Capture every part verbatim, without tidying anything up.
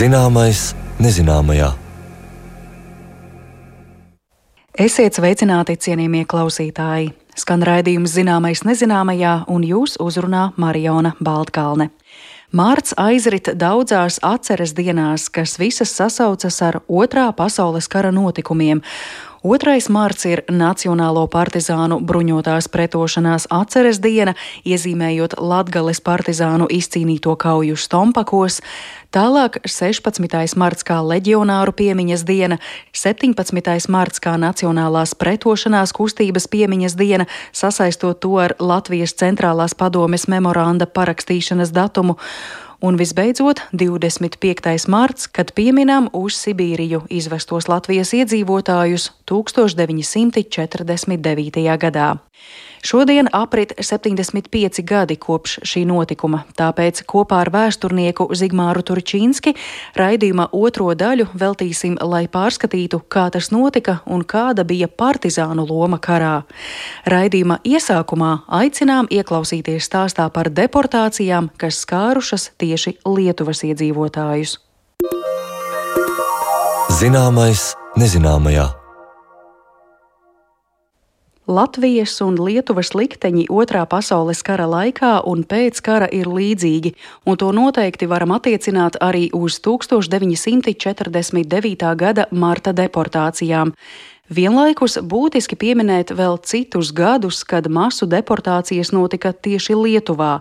Zināmais nezināmajā. Esiet sveicināti, cienījamie klausītāji! Skan raidījums Zināmais nezināmajā, un jūs uzrunā Mariona Baltkalne. Mārts aizrit daudzās atceres dienās, kas visas sasaucas ar Otrā pasaules kara notikumiem. Otrais mārts ir Nacionālo partizānu bruņotās pretošanās atceres diena, iezīmējot Latgales partizānu izcīnīto kauju Stompakos. Tālāk sešpadsmitais marts kā leģionāru piemiņas diena, septiņpadsmitais marts kā Nacionālās pretošanās kustības piemiņas diena, sasaistot to ar Latvijas centrālās padomes memoranda parakstīšanas datumu. Un visbeidzot, divdesmit piektais marts, kad pieminam uz Sibīriju izvestos Latvijas iedzīvotājus tūkstoš deviņi simti četrdesmit devītajā gadā. Šodien aprit septiņdesmit pieci gadi kopš šī notikuma, tāpēc kopā ar vēsturnieku Zigmāru Turčīnski raidījuma otro daļu veltīsim, lai pārskatītu, kā tas notika un kāda bija partizānu loma karā. Raidījuma iesākumā aicinām ieklausīties stāstā par deportācijām, kas skārušas tieši Lietuvas iedzīvotājus. Zināmais nezināmajā. Latvijas un Lietuvas likteņi Otrā pasaules kara laikā un pēc kara ir līdzīgi, un to noteikti varam attiecināt arī uz tūkstoš deviņi simti četrdesmit devītā gada marta deportācijām. Vienlaikus būtiski pieminēt vēl citus gadus, kad masu deportācijas notika tieši Lietuvā.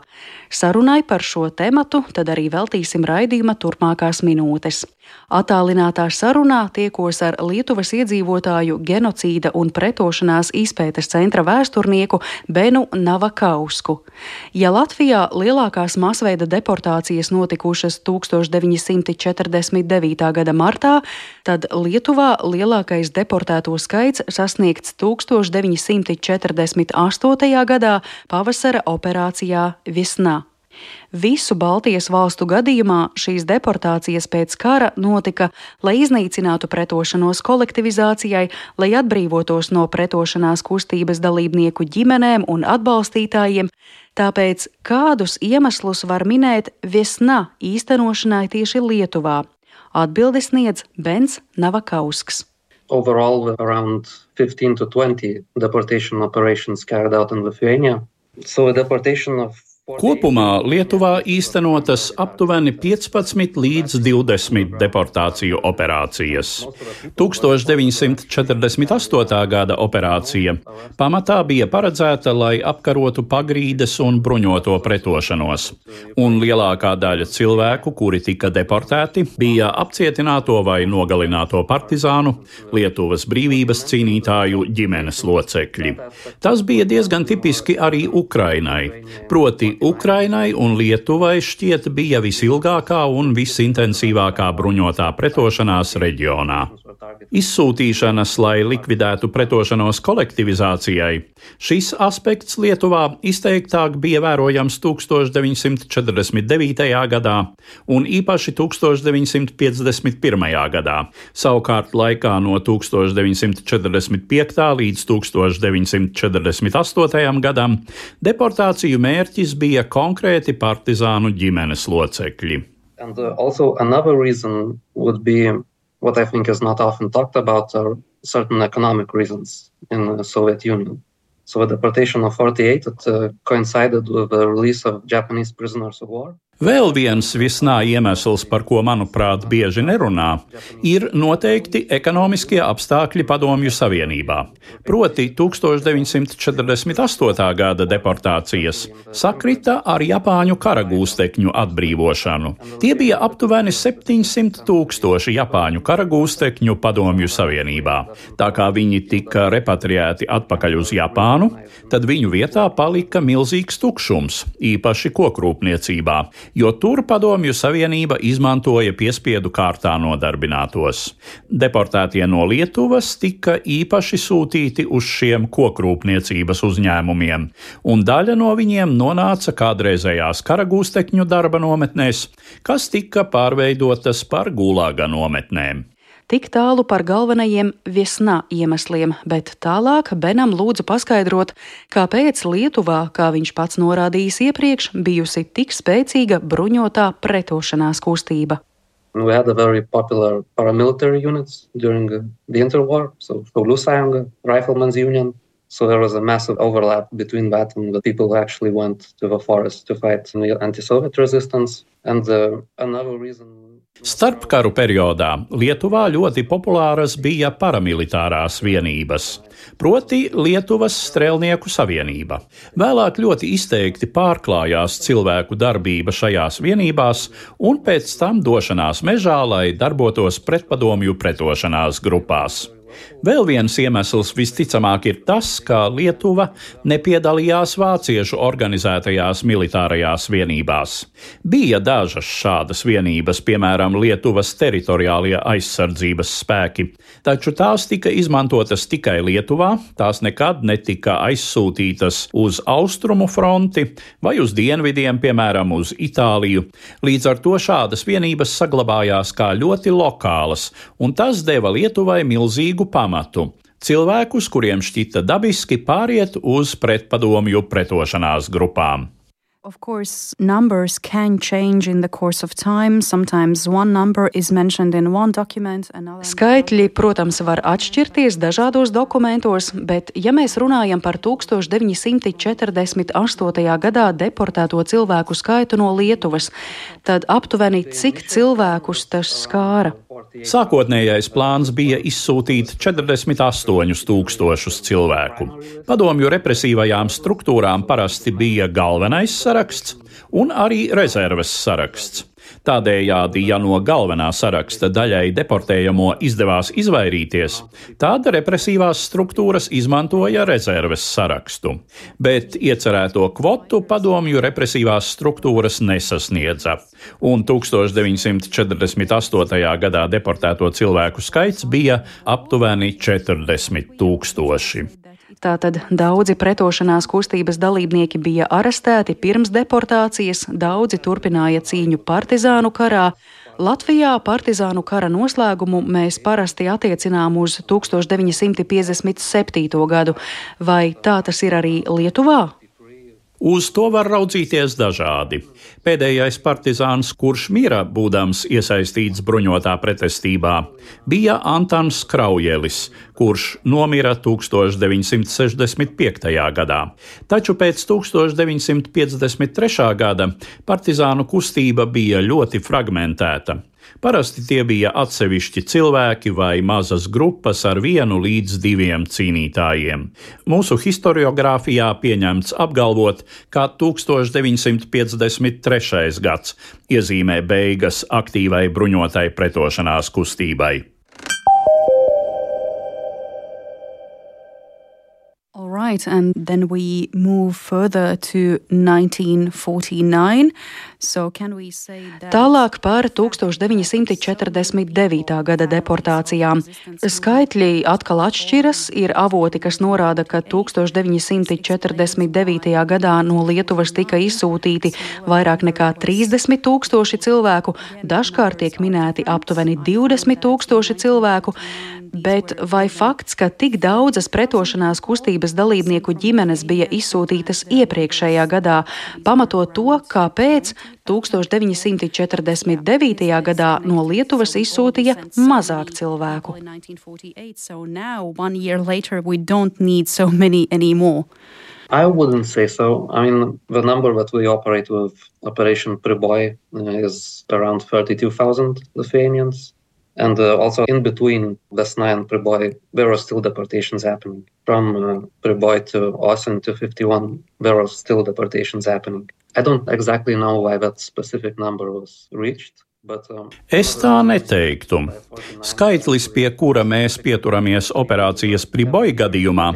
Sarunai par šo tematu tad arī veltīsim raidījuma turpmākās minūtes. Attālinātā sarunā tiekos ar Lietuvas iedzīvotāju genocīda un pretošanās izpētes centra vēsturnieku Benu Navakausku. Ja Latvijā lielākās masveida deportācijas notikušas tūkstoš deviņi simti četrdesmit devītā gada martā, tad Lietuvā lielākais deportēto skaits sasniegts tūkstoš deviņi simti četrdesmit astotajā gadā pavasara operācijā Visna. Visu Baltijas valstu gadījumā šīs deportācijas pēc kara notika, lai iznīcinātu pretošanos kolektivizācijai, lai atbrīvotos no pretošanās kustības dalībnieku ģimenēm un atbalstītājiem. Tāpēc kādus iemeslus var minēt Visna īstenošanai tieši Lietuvā? Atbildi sniedz Bens Navakausks. Overall, around fifteen to twenty deportation operations carried out in Lithuania. So a deportation of Kopumā Lietuvā īstenotas aptuveni piecpadsmit līdz divdesmit deportāciju operācijas. tūkstoš deviņi simti četrdesmit astotā gada operācija pamatā bija paredzēta, lai apkarotu pagrīdes un bruņoto pretošanos, un lielākā daļa cilvēku, kuri tika deportēti, bija apcietināto vai nogalināto partizānu, Lietuvas brīvības cīnītāju ģimenes locekļi. Tas bija diezgan tipiski arī Ukrainai, proti Ukrainai un Lietuvai šķiet bija visilgākā un visintensīvākā bruņotā pretošanās reģionā. Izsūtīšanas, lai likvidētu pretošanos kolektivizācijai, šis aspekts Lietuvā izteiktāk bija vērojams tūkstoš deviņi simti četrdesmit devītajā gadā un īpaši tūkstoš deviņi simti piecdesmit pirmajā gadā. Savukārt laikā no tūkstoš deviņi simti četrdesmit piektā līdz tūkstoš deviņi simti četrdesmit astotajam gadam deportāciju mērķis bija konkrēti partizānu ģimenes locekļi. And uh, also another reason would be what I think is not often talked about are certain economic reasons in the Soviet Union. So the deportation of forty-eight it, uh, coincided with the release of Japanese prisoners of war. Vēl viens Visnā iemesls, par ko, manuprāt, bieži nerunā, ir noteikti ekonomiskie apstākļi Padomju Savienībā. Proti tūkstoš deviņi simti četrdesmit astotā gada deportācijas sakrita ar Japāņu karagūstekņu atbrīvošanu. Tie bija aptuveni septiņsimt tūkstoši Japāņu karagūstekņu Padomju Savienībā. Tā kā viņi tika repatriēti atpakaļ uz Japānu, tad viņu vietā palika milzīgs tukšums, īpaši kokrūpniecībā, jo tur Padomju Savienība izmantoja piespiedu kārtā nodarbinātos. Deportētie no Lietuvas tika īpaši sūtīti uz šiem kokrūpniecības uzņēmumiem, un daļa no viņiem nonāca kādreizējās karagūstekņu darba nometnēs, kas tika pārveidotas par gulāga nometnēm. Tik tālu par galvenajiem viesnā iemesliem, bet tālāk Benam lūdzu paskaidrot, kāpēc Lietuvā, kā viņš pats norādījis iepriekš, bijusi tik spēcīga bruņotā pretošanās kustība. We had a very popular paramilitary units during the interwar, so Šaulių sąjunga, Riflemen's Union. So there was a massive overlap between that and the people who actually went to the forest to fight anti-Soviet resistance. And uh, another reason... Starpkaru periodā Lietuvā ļoti populāras bija paramilitārās vienības, proti Lietuvas strēlnieku savienība. Vēlāk ļoti izteikti pārklājās cilvēku darbība šajās vienībās un pēc tam došanās mežā, lai darbotos pretpadomju pretošanās grupās. Vēl viens iemesls visticamāk ir tas, ka Lietuva nepiedalījās vāciešu organizētajās militārajās vienībās. Bija dažas šādas vienības, piemēram, Lietuvas teritoriālie aizsardzības spēki, taču tās tika izmantotas tikai Lietuvā, tās nekad netika aizsūtītas uz austrumu fronti vai uz dienvidiem, piemēram, uz Itāliju. Līdz ar to šādas vienības saglabājās kā ļoti lokālas, un tas deva Lietuvai milzīgu pamatu. Cilvēkus, kuriem šķita dabiski pāriet uz pretpadomju pretošanās grupām. Of course, numbers can change in the course of time. Sometimes one number is mentioned in one document. Another... Skaitļi, protams, var atšķirties dažādos dokumentos, bet, ja mēs runājam par tūkstoš deviņi simti četrdesmit astotajā gadā deportēto cilvēku skaitu no Lietuvas, tad aptuveni cik cilvēkus tas skāra? Sākotnējais plāns bija izsūtīt četrdesmit astoņus tūkstošus cilvēku. Padomju represīvajām struktūrām parasti bija galvenais saraksts un arī rezerves saraksts. Tādējādi, ja no galvenā saraksta daļai deportējamo izdevās izvairīties, tad represīvās struktūras izmantoja rezerves sarakstu, bet iecerēto kvotu padomju represīvās struktūras nesasniedza, un tūkstoš deviņi simti četrdesmit astotajā gadā deportēto cilvēku skaits bija aptuveni četrdesmit tūkstoši. Tātad daudzi pretošanās kustības dalībnieki bija arestēti pirms deportācijas, daudzi turpināja cīņu partizānu karā. Latvijā partizānu kara noslēgumu mēs parasti attiecinām uz tūkstoš deviņi simti piecdesmit septīto gadu. Vai tā tas ir arī Lietuvā? Uz to var raudzīties dažādi. Pēdējais partizāns, kurš mira būdams iesaistīts bruņotā pretestībā, bija Antans Kraujelis, kurš nomira tūkstoš deviņi simti sešdesmit piektajā gadā. Taču pēc tūkstoš deviņi simti piecdesmit trešā gada partizānu kustība bija ļoti fragmentēta. Parasti tie bija atsevišķi cilvēki vai mazas grupas ar vienu līdz diviem cīnītājiem. Mūsu historiogrāfijā pieņemts apgalvot, ka tūkstoš deviņi simti piecdesmit trešais gads iezīmē beigas aktīvai bruņotai pretošanās kustībai. All right, and then we move further to nineteen forty-nine. So can we say that... Tālāk par tūkstoš deviņi simti četrdesmit devītā gada deportācijām. Skaitļi atkal atšķiras, ir avoti, kas norāda, ka tūkstoš deviņi simti četrdesmit devītajā gadā no Lietuvas tika izsūtīti vairāk nekā trīsdesmit tūkstoši cilvēku, dažkārt tiek minēti aptuveni divdesmit tūkstoši cilvēku. Bet vai fakts, ka tik daudzas pretošanās kustības dalībnieku ģimenes bija izsūtītas iepriekšējā gadā, pamato to, kāpēc tūkstoš deviņi simti četrdesmit devītajā gadā no Lietuvas izsūtīja mazāk cilvēku? I wouldn't say so. I mean, the number that we operate with Operation Priboj is around thirty-two thousand Lithuanians. And uh, also in between Vesna and Priboj, there are still deportations happening. From uh, Priboj to Osen to fifty-one, there are still deportations happening. I don't exactly know why that specific number was reached. Es tā neteiktu. Skaitlis, pie kura mēs pieturamies operācijas Priboj gadījumā,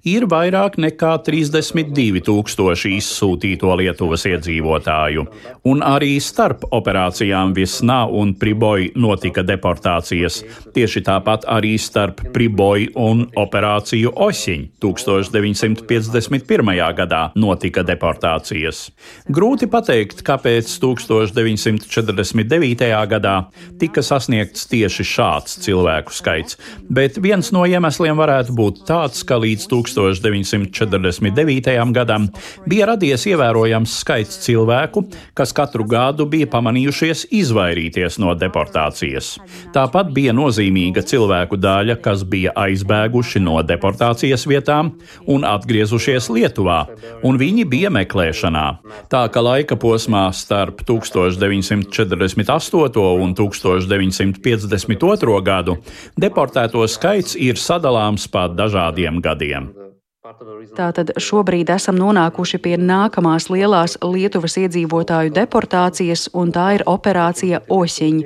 ir vairāk nekā trīsdesmit divi tūkstoši izsūtīto Lietuvas iedzīvotāju, un arī starp operācijām Visna un Priboj notika deportācijas. Tieši tāpat arī starp Priboj un operāciju Osiņ tūkstoš deviņsimt piecdesmit pirmajā gadā notika deportācijas. Grūti pateikt, kāpēc tūkstoš deviņsimt četrdesmit devītajā gadā tika sasniegts tieši šāds cilvēku skaits, bet viens no iemesliem varētu būt tāds, ka līdz tūkstoš deviņsimt četrdesmit devītajam gadam bija radies ievērojams skaits cilvēku, kas katru gadu bija pamanījušies izvairīties no deportācijas. Tāpat bija nozīmīga cilvēku daļa, kas bija aizbēguši no deportācijas vietām un atgriezušies Lietuvā, un viņi bija meklēšanā. Tā ka laika posmā starp tūkstoš deviņsimt četrdesmit astoto un tūkstoš deviņsimt piecdesmit otro gadu deportēto skaits ir sadalāms pa dažādiem gadiem. Tātad šobrīd esam nonākuši pie nākamās lielās Lietuvas iedzīvotāju deportācijas, un tā ir operācija Osiņ.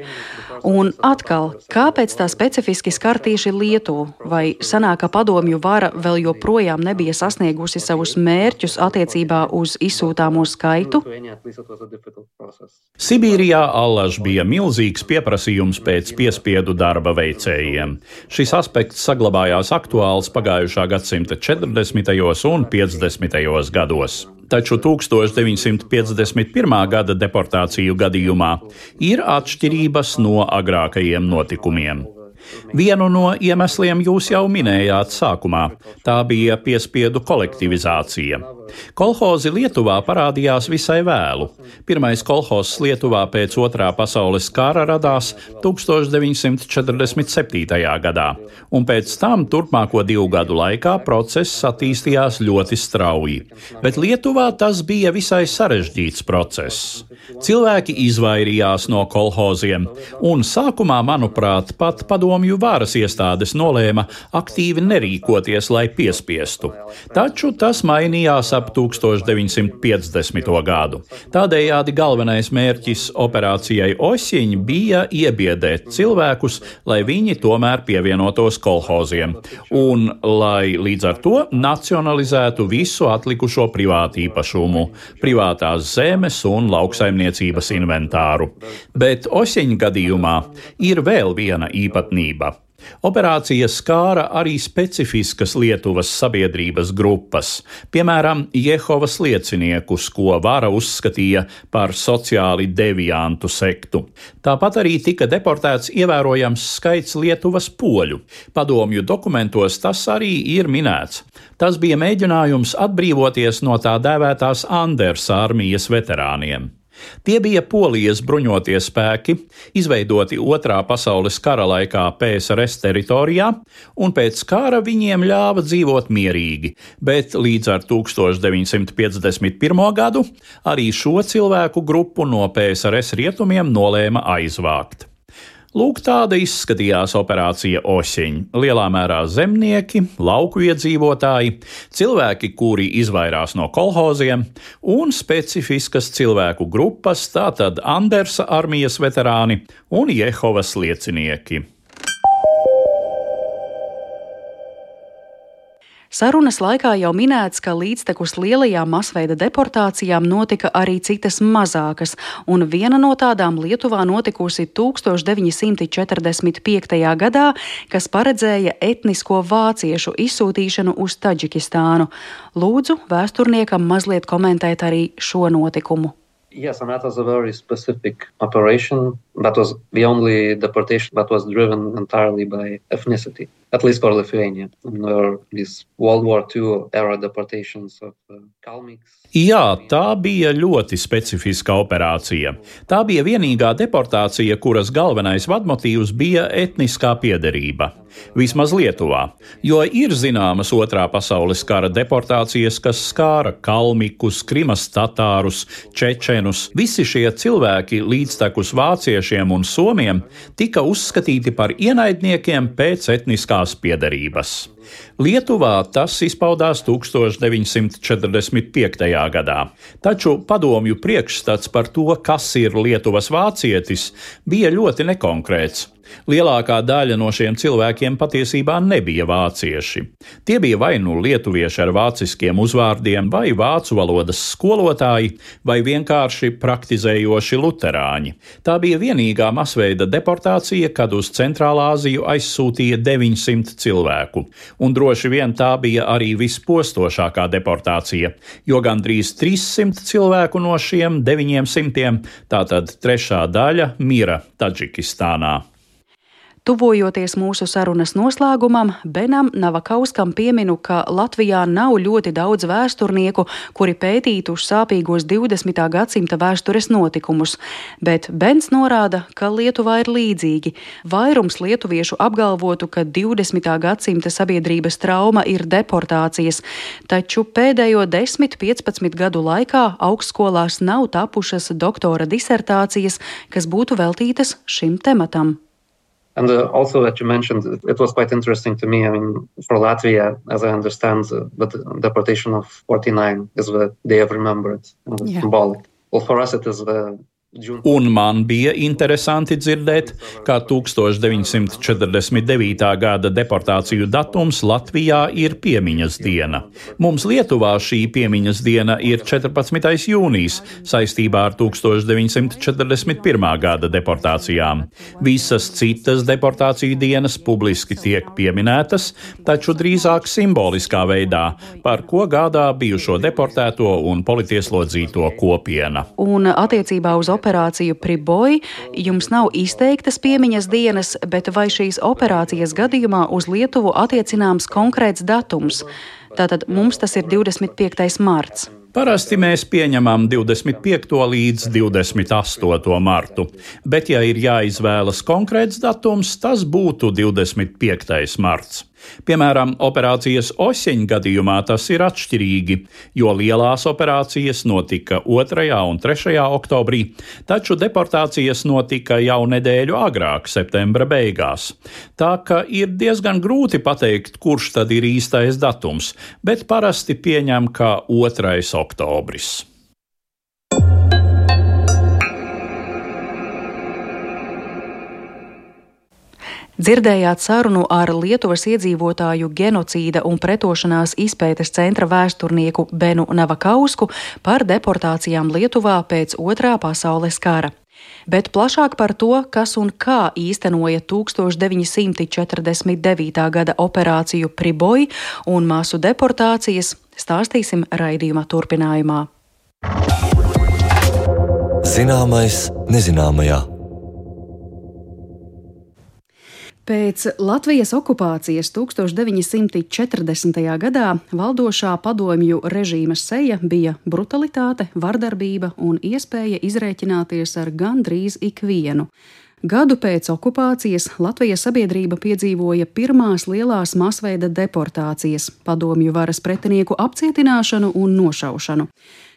Un atkal, kāpēc tā specifiski skar tieši Lietuvu? Vai sanāk, ka padomju vara vēl joprojām nebija sasniegusi savus mērķus attiecībā uz izsūtāmo skaitu? Sibīrijā allaž bija milzīgs pieprasījums pēc piespiedu darba veicējiem. Šis aspekts saglabājās aktuāls pagājušā gadsimta četrdesmitajos un piecdesmitajos gados. Taču tūkstoš deviņsimt piecdesmit pirmā gada deportāciju gadījumā ir atšķirības no agrākajiem notikumiem. Vienu no iemesliem jūs jau minējāt sākumā. Tā bija piespiedu kolektivizācija. Kolhozi Lietuvā parādījās visai vēlu. Pirmais kolhozs Lietuvā pēc otrā pasaules kara radās tūkstoš deviņsimt četrdesmit septītajā gadā, un pēc tam turpmāko divu gadu laikā process attīstījās ļoti strauji. Bet Lietuvā tas bija visai sarežģīts process. Cilvēki izvairījās no kolhoziem, un sākumā, manuprāt, pat padomju varas iestādes nolēma aktīvi nerīkoties, lai piespiestu. Taču tas mainījās ap tūkstoš deviņsimt piecdesmito gadu. Tādējādi galvenais mērķis operācijai Osiņ bija iebiedēt cilvēkus, lai viņi tomēr pievienotos kolhoziem, un lai līdz ar to nacionalizētu visu atlikušo privātīpašumu, privātās zemes un lauksaimniecības inventāru. Bet Osiņ gadījumā ir vēl viena īpatnība. Operācija skāra arī specifiskas Lietuvas sabiedrības grupas, piemēram, Jehovas lieciniekus, ko vara uzskatīja par sociāli deviantu sektu. Tāpat arī tika deportēts ievērojams skaits Lietuvas poļu. Padomju dokumentos tas arī ir minēts. Tas bija mēģinājums atbrīvoties no tā dēvētās Andersa armijas veterāniem. Tie bija Polijas bruņotie spēki, izveidoti otrā pasaules kara laikā P S R S teritorijā, un pēc kara viņiem ļāva dzīvot mierīgi, bet līdz ar tūkstoš deviņsimt piecdesmit pirmo gadu arī šo cilvēku grupu no P S R S rietumiem nolēma aizvākt. Lūk, tāda izskatījās operācija Osiņ. Lielā mērā zemnieki, lauku iedzīvotāji, cilvēki, kuri izvairās no kolhoziem, un specifiskas cilvēku grupas, tātad Andersa armijas veterāni un Jehovas liecinieki. Sarunas laikā jau minēts, ka līdztekus lielajām masveida deportācijām notika arī citas mazākas, un viena no tādām Lietuvā notikusi tūkstoš deviņi simti četrdesmit piektajā gadā, kas paredzēja etnisko vāciešu izsūtīšanu uz Taģikistānu. Lūdzu, vēsturniekam mazliet komentēt arī šo notikumu. Yes, and that was a very specific operation. That was the only deportation that was driven entirely by ethnicity, at least for Lithuania. And there were these World War Two era deportations of uh, Kalmīks. Jā, tā bija ļoti specifiska operācija. Tā bija vienīgā deportācija, kuras galvenais vadmotīvs bija etniskā piederība. Vismaz Lietuvā, jo ir zināmas otrā pasaules kara deportācijas, kas skāra kalmikus, krimas tatārus, čečenus. Visi šie cilvēki līdztekus vāciešiem un somiem tika uzskatīti par ienaidniekiem pēc etniskās piederības. Lietuvā tas izpaudās tūkstoš deviņsimt četrdesmit piektajā gadā, taču padomju priekšstats par to, kas ir Lietuvas vācietis, bija ļoti nekonkrēts. Lielākā daļa no šiem cilvēkiem patiesībā nebija vācieši. Tie bija vai nu lietuvieši ar vāciskiem uzvārdiem, vai vācu valodas skolotāji, vai vienkārši praktizējoši luterāņi. Tā bija vienīgā masveida deportācija, kad uz Centrālā Āziju aizsūtīja deviņsimt cilvēku, un droši vien tā bija arī vispostošākā deportācija, jo gandrīz trīssimt cilvēku no šiem deviņiem simtiem, tātad trešā daļa, mira Tadžikistānā. Tuvojoties mūsu sarunas noslēgumam, Benam Navakauskam pieminu, ka Latvijā nav ļoti daudz vēsturnieku, kuri pētītu sāpīgos divdesmitā gadsimta vēstures notikumus, bet Bens norāda, ka Lietuvā ir līdzīgi. Vairums lietuviešu apgalvotu, ka divdesmitā gadsimta sabiedrības trauma ir deportācijas, taču pēdējo desmit piecpadsmit gadu laikā augstskolās nav tapušas doktora disertācijas, kas būtu veltītas šim tematam. And uh, also that you mentioned, it was quite interesting to me. I mean, for Latvia, as I understand, uh, the deportation of forty-nine is the day of remembrance, and it's yeah. symbolic. Well, for us it is the Un man bija interesanti dzirdēt, ka tūkstoš deviņsimt četrdesmit devītā gada deportāciju datums Latvijā ir piemiņas diena. Mums Lietuvā šī piemiņas diena ir četrpadsmitais jūnijas saistībā ar tūkstoš deviņsimt četrdesmit pirmā gada deportācijām. Visas citas deportāciju dienas publiski tiek pieminētas, taču drīzāk simboliskā veidā, par ko gādā bijušo deportēto un politieslodzīto kopiena. Un attiecībā uz operāciju Priboj jums nav izteiktas piemiņas dienas, bet vai šīs operācijas gadījumā uz Lietuvu attiecināms konkrēts datums? Tātad mums tas ir divdesmit piektais marts. Parasti mēs pieņemam divdesmit piekto līdz divdesmit astoto martu, bet ja ir jāizvēlas konkrēts datums, tas būtu divdesmit piektais marts. Piemēram, operācijas Oseņa gadījumā tas ir atšķirīgi, jo lielās operācijas notika otrajā un trešajā oktobrī, taču deportācijas notika jau nedēļu agrāk, septembra beigās. Tā ka ir diezgan grūti pateikt, kurš tad ir īstais datums, bet parasti pieņem, ka otrais oktobris. Dzirdējāt sarunu ar Lietuvas iedzīvotāju genocīda un pretošanās izpētes centra vēsturnieku Benu Navakausku par deportācijām Lietuvā pēc Otrā pasaules kara. Bet plašāk par to, kas un kā īstenoja tūkstoš deviņi simti četrdesmit devītā gada operāciju Priboj un masu deportācijas, stāstīsim raidījuma turpinājumā. Zināmais nezināmajā. Pēc Latvijas okupācijas tūkstoš deviņi simti četrdesmitajā gadā valdošā padomju režīma seja bija brutalitāte, vardarbība un iespēja izrēķināties ar gandrīz ikvienu. Gadu pēc okupācijas Latvijas sabiedrība piedzīvoja pirmās lielās masveida deportācijas, padomju varas pretinieku apcietināšanu un nošaušanu.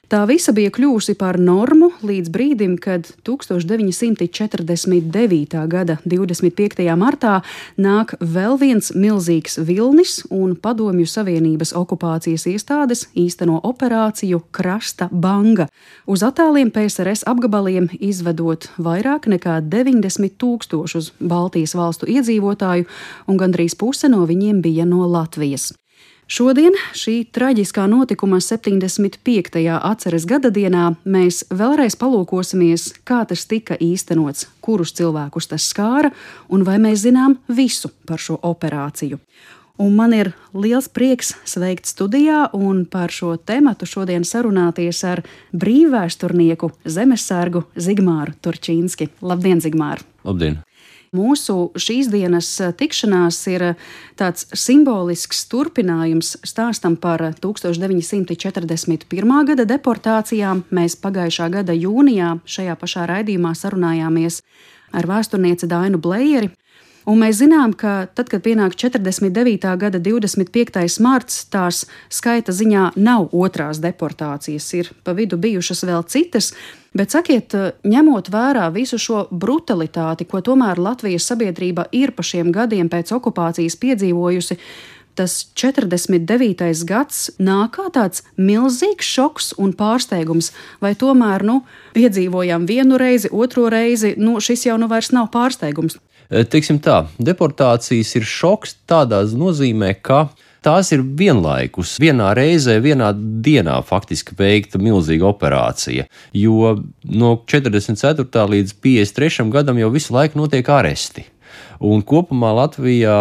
Tā visa bija kļūsi par normu līdz brīdim, kad tūkstoš deviņi simti četrdesmit devītā gada divdesmit piektajā martā nāk vēl viens milzīgs vilnis un Padomju Savienības okupācijas iestādes īsteno operāciju Krasta Banga, uz attāliem P S R S apgabaliem izvedot vairāk nekā deviņdesmit tūkstošus Baltijas valstu iedzīvotāju, un gandrīz puse no viņiem bija no Latvijas. Šodien, šī traģiskā notikuma septiņdesmit piektajā atceres gadadienā, mēs vēlreiz palūkosimies, kā tas tika īstenots, kurus cilvēkus tas skāra un vai mēs zinām visu par šo operāciju. Un man ir liels prieks sveikt studijā un par šo tematu šodien sarunāties ar brīvvēsturnieku zemesargu Zigmāru Turčīnski. Labdien, Zigmār! Labdien! Mūsu šīs dienas tikšanās ir tāds simbolisks turpinājums stāstam par tūkstoš deviņi simti četrdesmit pirmā gada deportācijām. Mēs pagājušā gada jūnijā šajā pašā raidījumā sarunājāmies ar vēsturnieci Dainu Blējeri. Un mēs zinām, ka tad, kad pienāk četrdesmit devītā gada divdesmit piektais marts, tās skaita ziņā nav otrās deportācijas, ir pa vidu bijušas vēl citas, bet sakiet, ņemot vērā visu šo brutalitāti, ko tomēr Latvijas sabiedrība ir pa šiem gadiem pēc okupācijas piedzīvojusi, tas četrdesmit devītais gads nāk kā tāds milzīgs šoks un pārsteigums, vai tomēr, nu, piedzīvojām vienu reizi, otro reizi, nu, šis jau nu vairs nav pārsteigums. Teiksim tā, deportācijas ir šoks tādā nozīmē, ka tās ir vienlaikus, vienā reizē, vienā dienā faktiski veikta milzīga operācija, jo no četrdesmit ceturtā līdz piecdesmit trešajam gadam jau visu laiku notiek aresti. Un kopumā Latvijā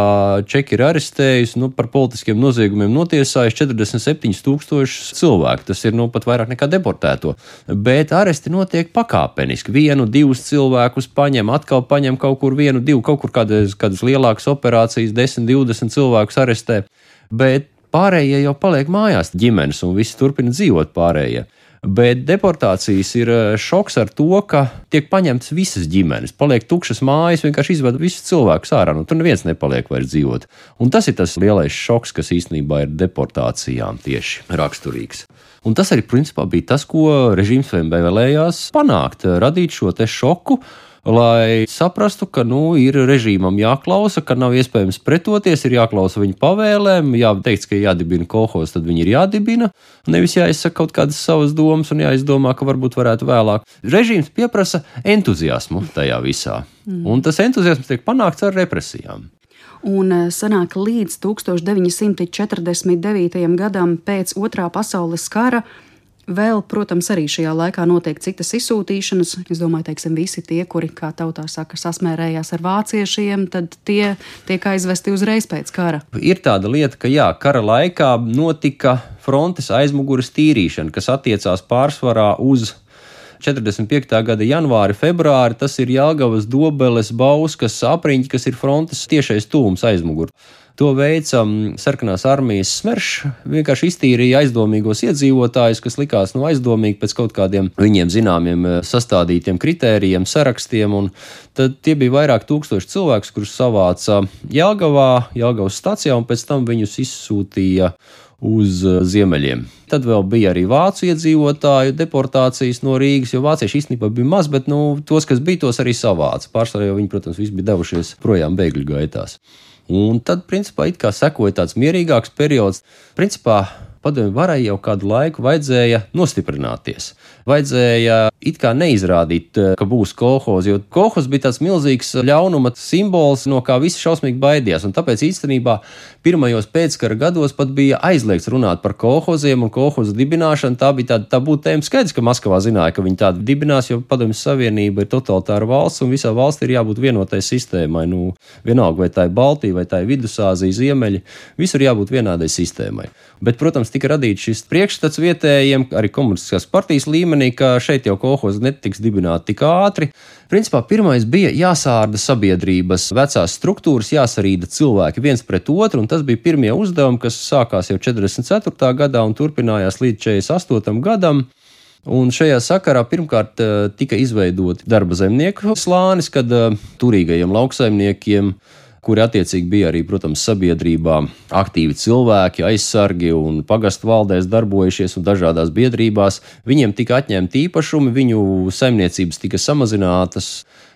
Čeki ir arestējusi, nu, par politiskiem noziegumiem notiesājuši četrdesmit septiņus tūkstošus cilvēku. Tas ir, nu, pat vairāk nekā deportēto. Bet aresti notiek pakāpeniski. Vienu, divus cilvēkus paņem, atkal paņem kaut kur vienu, divu, kaut kur kādas, kādas lielākas operācijas, desmit, divdesmit cilvēkus arestē. Bet pārējie jau paliek mājās ģimenes un visi turpina dzīvot pārējie. Bet deportācijas ir šoks ar to, ka tiek paņemtas visas ģimenes, paliek tukšas mājas, vienkārši izved visus cilvēkus ārā, nu tur neviens nepaliek vairs dzīvot. Un tas ir tas lielais šoks, kas īstenībā ir deportācijām tieši raksturīgs. Un tas arī principā bija tas, ko režīms vēlējās panākt, radīt šo te šoku, lai saprastu, ka, nu, ir režīmam jāklausa, ka nav iespējams pretoties, ir jāklausa viņu pavēlēm, jāteic, ka jādibina kolhos, tad viņi ir jādibina, nevis jāizsaka kaut kādas savas domas un jāizdomā, ka varbūt varētu vēlāk. Režīms pieprasa entuziasmu tajā visā, mm. un tas entuziasms tiek panākts ar represijām. Un sanāk līdz deviņdesmit četrdesmit devītajam gadam pēc otrā pasaules kara. Vēl, protams, arī šajā laikā notiek citas izsūtīšanas. Es domāju, teiksim, visi tie, kuri, kā tautā saka, sasmērējās ar vāciešiem, tad tie tiek aizvesti uzreiz pēc kara. Ir tāda lieta, ka jā, kara laikā notika frontes aizmuguras tīrīšana, kas attiecās pārsvarā uz četrdesmit piektā gada janvāri, februāri. Tas ir Jelgavas, Dobeles, Bauskas, apriņķi, kas ir frontes tiešais tūms aizmugur. To veica sarkanās armijas Smerš, vienkārši iztīrīja aizdomīgos iedzīvotājus, kas likās nu, aizdomīgi pēc kaut kādiem viņiem zināmiem sastādītiem kritērijiem, sarakstiem, un tad tie bija vairāk tūkstoši cilvēkus, kurus savāca Jelgavā, Jelgavas stacijā, un pēc tam viņus izsūtīja uz ziemeļiem. Tad vēl bija arī vācu iedzīvotāju deportācijas no Rīgas, jo vācieši īstenībā bija maz, bet nu, tos, kas bija, tos arī savāca. Pārsvarā jau viņi, protams, visi bija devušies projām bēgļu gaitās. Un tad, principā, it kā sekoja tāds mierīgāks periods. Principā, padomju varai jau kādu laiku vajadzēja nostiprināties. Vajadzēja it kā neizrādīt, ka būs kolhoz, jo kolhoz bija tāds milzīgs ļaunuma simbols, no kā visi šausmīgi baidījās. Un tāpēc īstenībā pirmajos pēckara gados pat bija aizliegts runāt par kolhoziem un kolhozu dibināšanu. Tā bija tāda tabū tēma. Skaidrs, ka Maskavā zināja, ka viņi tādu dibinās, jo Padomju Savienība ir totalitāra valsts un visā valstī ir jābūt vienotai sistēmai. Nu, vienalga, vai tā ir Baltija, vai tā ir Vidusāzija, Ziemeļi, visur jābūt vienādai sistēmai. Bet, protams, tika radīts šis priekšstats vietējiem, arī komunistiskās partijas līmenī, ka šeit jau kolhozi netiks dibināti tik ātri. Principā pirmais bija jāsārda sabiedrības vecās struktūras, jāsarīda cilvēki viens pret otru, un tas bija pirmie uzdevumi, kas sākās jau četrdesmit ceturtā gadā un turpinājās līdz četrdesmit astotam gadam. Un šajā sakarā pirmkārt tika izveidoti darba zemnieku slānis, kad turīgajiem lauksaimniekiem, kuri attiecīgi bija arī, protams, sabiedrībā aktīvi cilvēki, aizsargi un pagastu valdēs darbojušies un dažādās biedrībās. Viņiem tika atņemti īpašumi, viņu saimniecības tika samazinātas.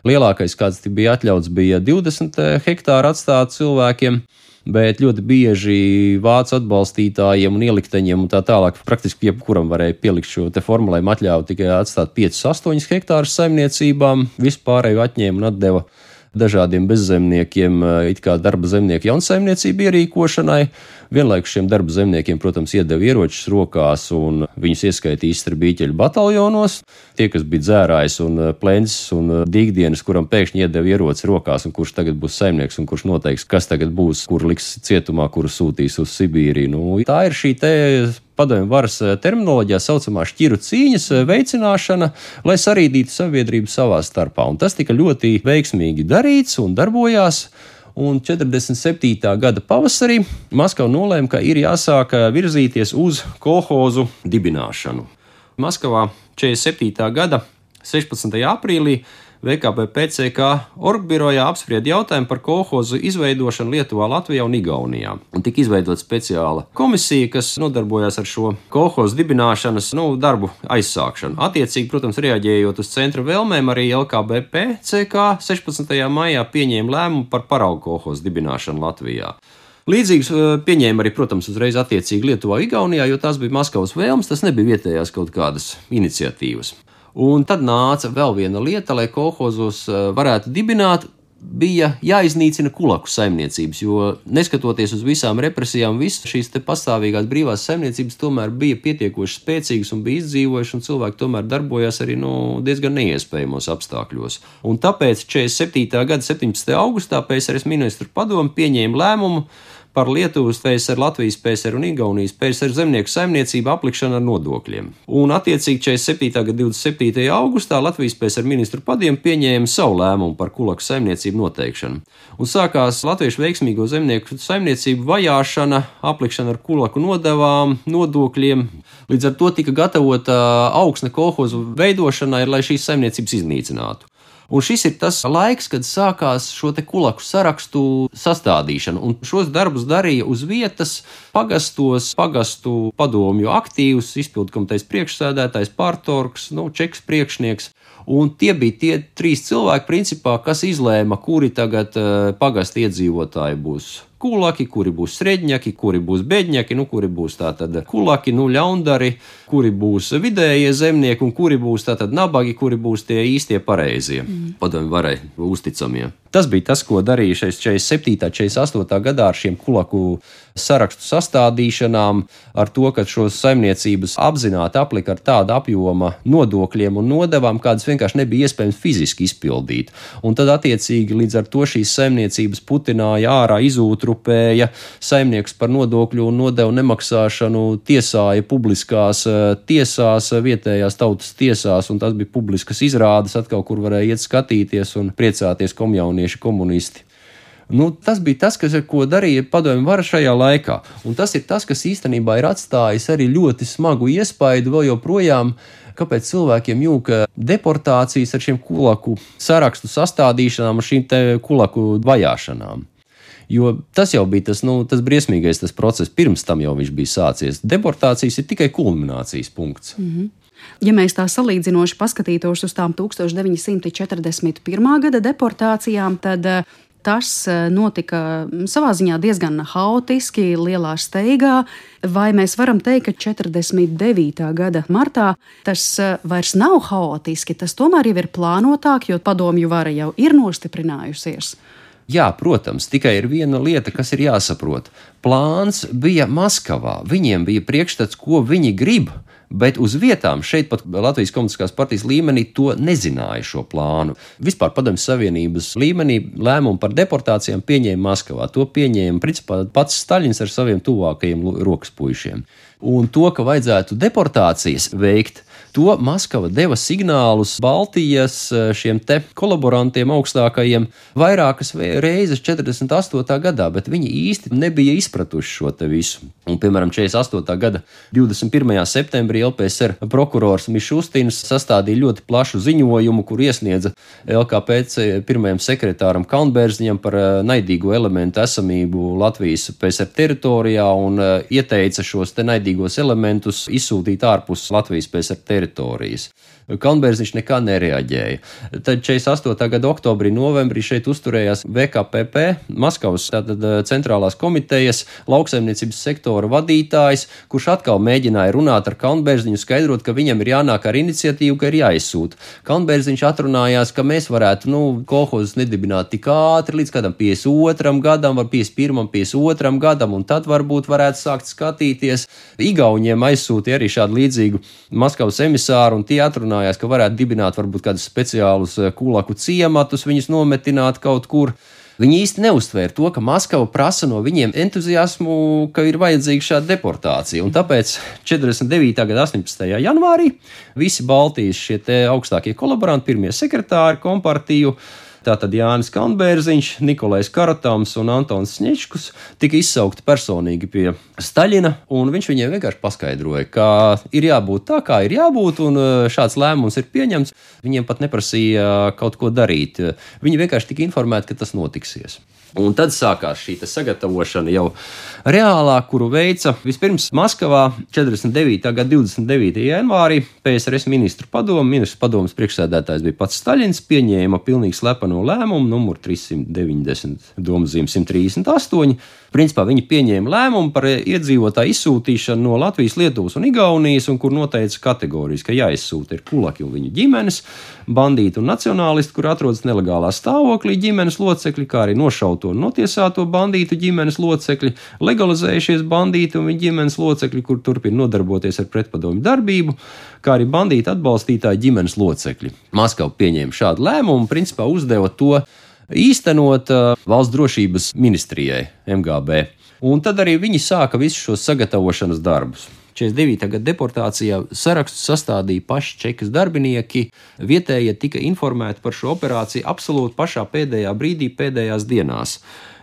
Lielākais, kāds bija atļauts, bija divdesmit hektāri atstāt cilvēkiem, bet ļoti bieži vācu atbalstītājiem un ielikteņiem un tā tālāk praktiski jebkuram varēja pielikt šo te formulējumu atļauju tikai atstāt piecus astoņus hektārus saimniecībām, vispārēju atņēma un atdeva dažādiem bezzemniekiem, it kā darba zemnieku jaunsaimniecību ierīkošanai. Vienlaikus šiem darba zemniekiem, protams, iedeva ieročus rokās un viņus ieskaitīja izstrabīķeļu bataljonos. Tie, kas bija dzērājs un plencis un dīgdienis, kuram pēkšņi iedeva ieroci rokās un kurš tagad būs saimnieks un kurš noteiks, kas tagad būs, kur liks cietumā, kuru sūtīs uz Sibīriju. Nu, tā ir šī te padomju varas terminoloģijā saucamā šķiru cīņas veicināšana, lai sarīdītu sabiedrību savā starpā. Un tas tika ļoti veiksmīgi darīts un darbojās. Un četrdesmit septītā gada pavasarī Maskava nolēma, ka ir jāsāk virzīties uz kolhozu dibināšanu. Maskavā četrdesmit septītā gada sešpadsmitajā aprīlī V K P P C K orgbirojā apspried jautājumu par kolhozu izveidošanu Lietuvā, Latvijā un Igaunijā. Un tika izveidota speciāla komisija, kas nodarbojās ar šo kolhozu dibināšanas nu, darbu aizsākšanu. Attiecīgi, protams, reaģējot uz centra vēlmēm, arī L K B P C K sešpadsmitajā maijā pieņēma lēmumu par paraugu kolhozu dibināšanu Latvijā. Līdzīgs pieņēma arī, protams, uzreiz attiecīgi Lietuvā, Igaunijā, jo tās bija Maskavas vēlmes, tas nebija vietējās kaut kādas iniciatīvas. Un tad nāca vēl viena lieta, lai kolhozos varētu dibināt, bija jāiznīcina kulaku saimniecības, jo neskatoties uz visām represijām, visas šīs te pastāvīgās brīvās saimniecības tomēr bija pietiekoši spēcīgas un bija izdzīvojuši, un cilvēki tomēr darbojās arī nu, diezgan neiespējamos apstākļos. Un tāpēc četrdesmit septītā gada septiņpadsmitajā augustā P S R S ministru padomu pieņēma lēmumu par Lietuvas P S R, Latvijas P S R un Igaunijas P S R zemnieku saimniecību aplikšanu ar nodokļiem. Un attiecīgi četrdesmit septītā gada divdesmit septītajā augustā Latvijas P S R ministru padomu pieņēma savu lēmumu par kulaku saimniecību noteikšanu. Un sākās latviešu veiksmīgo zemnieku saimniecību vajāšana, aplikšana ar kulaku nodevām, nodokļiem. Līdz ar to tika gatavota augsne kolhozu veidošanai, lai šīs saimniecības iznīcinātu. Un šis ir tas laiks, kad sākās šo te kulaku sarakstu sastādīšana, un šos darbus darīja uz vietas pagastos, pagastu padomju aktīvus, izpildkomitejas priekšsēdētājs, pārtorgs, nu, čeks priekšnieks. Un tie bija tie trīs cilvēki, principā, kas izlēma, kuri tagad uh, pagasta iedzīvotāji būs kulaki, kuri būs sredņaki, kuri būs beģņaki, nu, kuri būs tātad kulaki, nu, ļaundari, kuri būs vidējie zemnieki un kuri būs tātad nabagi, kuri būs tie īstie pareizie, mm. padomju varai uzticamie. Tas bija tas, ko darīja šeit četrdesmit septītā, četrdesmit astotā gadā ar šiem kulaku sarakstu sastādīšanām, ar to, ka šos saimniecības apzināti aplika ar tādu apjoma nodokļiem un nodevām, kādas vienkārši nebija iespējams fiziski izpildīt. Un tad attiecīgi līdz ar to šīs saimniecības putināja ārā, izūtrupēja, saimnieks par nodokļu un nodevu nemaksāšanu tiesāja publiskās tiesās, vietējās tautas tiesās, un tas bija publiskas izrādes, atkal, kur varēja iet skatīties un priecāties komjaunieši komunisti. Nu, tas bija tas, kas, ko darīja padomju vara šajā laikā, un tas ir tas, kas īstenībā ir atstājis arī ļoti smagu iespaidu vēl joprojām, kāpēc cilvēkiem jūka deportācijas ar šiem kulaku sarakstu sastādīšanām, ar šīm te kulaku vajāšanām. Jo tas jau bija tas, nu, tas briesmīgais tas process, pirms tam jau viņš bija sācies. Deportācijas ir tikai kulminācijas punkts. Mm-hmm. Ja mēs tā salīdzinoši paskatītos uz tām tūkstoš deviņi simti četrdesmit pirmā gada deportācijām, tad tas notika savā ziņā diezgan haotiski, lielā steigā. Vai mēs varam teikt, ka četrdesmit devītā gada martā tas vairs nav haotiski, tas tomēr jau ir plānotāk, jo padomju vara jau ir nostiprinājusies? Jā, protams, tikai ir viena lieta, kas ir jāsaprot. Plāns bija Maskavā, viņiem bija priekšstats, ko viņi grib, bet uz vietām šeit pat Latvijas komunistiskās partijas līmenī to nezināja šo plānu. Vispār Padomju Savienības līmenī lēmumu par deportācijām pieņēma Maskavā. To pieņēma principā pats Staļins ar saviem tuvākajiem rokaspuišiem. Un to, ka vajadzētu deportācijas veikt, to Maskava deva signālus Baltijas šiem te kolaborantiem augstākajiem vairākas reizes četrdesmit astotā gadā, bet viņi īsti nebija izpratuši šo te visu. Un, piemēram, četrdesmit astotā gada divdesmit pirmajā septembrī L P S R prokurors Mišustins sastādīja ļoti plašu ziņojumu, kur iesniedza L K P C pirmajam sekretāram Kalnbērziņam par naidīgo elementu esamību Latvijas P S R teritorijā un ieteica šos te naidīgos elementus izsūtīt ārpus Latvijas P S R teritorijas. Kalnbērziņš nekā nereaģēja. Tad četrdesmit astotā gada oktobrī, novembrī šeit uzturējās V K P P, Maskavas tātad centrālās komitejas lauksaimniecības sektora vadītājs, kurš atkal mēģināja runāt ar Kalnbērziņu, skaidrot, ka viņam ir jānāk ar iniciatīvu, ka ir jāizsūta. Kalnbērziņš atrunājās, ka mēs varētu, nu, kolhozus nedibināt tik ātri līdz kādam piecdesmit otram gadam, vai piecdesmit pirmam, piecdesmit otram gadam, un tad varbūt varētu sākt skatīties. Igauņiem aizsūtīja arī šādu līdzīgu Maskavas emisāru, un tie atrunājās, ka varētu dibināt varbūt kādus speciālus kulaku ciematus, viņus nometināt kaut kur. Viņi īsti neuztvēra to, ka Maskava prasa no viņiem entuziasmu, ka ir vajadzīga šāda deportācija. Un tāpēc četrdesmit devītā gada astoņpadsmitajā janvārī visi Baltijas šie te augstākie kolaboranti, pirmie sekretāri kompartiju, tātad Jānis Kalnbērziņš, Nikolais Karotams un Antons Sņečkus tika izsaukti personīgi pie Staļina, un viņš viņiem vienkārši paskaidroja, ka ir jābūt tā, kā ir jābūt, un šāds lēmums ir pieņemts. Viņiem pat neprasīja kaut ko darīt. Viņi vienkārši tika informēti, ka tas notiksies. Un tad sākās šī sagatavošana jau reālā, kuru veica vispirms Maskavā četrdesmit devītā gada divdesmit devītajā janvārī P S R S ministru padomu. Ministru padomas priekšsēdētājs bija pats Staļins, pieņēma pilnīgi slepeno lēmumu numur trīssimt deviņdesmit domzīm simt trīsdesmit astoņi. Principā viņi pieņēma lēmumu par iedzīvotāju izsūtīšanu no Latvijas, Lietuvas un Igaunijas, un kur noteica kategorijas, ka jāizsūta ir kulaki un viņu ģimenes, bandīti un nacionālisti, kur atrodas nelegālā stāvoklī ģimenes locekļi, kā arī nošauto un notiesāto bandītu ģimenes locekļi, legalizējušies bandīti un viņu ģimenes locekļi, kur turpina nodarboties ar pretpadomju darbību, kā arī bandītu atbalstītāju ģimenes locekļi. Maskava pieņēma šādu lēmumu un principā uzdeva to īstenot uh, valsts drošības ministrijai M G B. Un tad arī viņi sāka visus šos sagatavošanas darbus. četrdesmit devītā gada deportācijā sarakstus sastādīja paši Čekas darbinieki, vietējie tika informēti par šo operāciju absolūti pašā pēdējā brīdī, pēdējās dienās.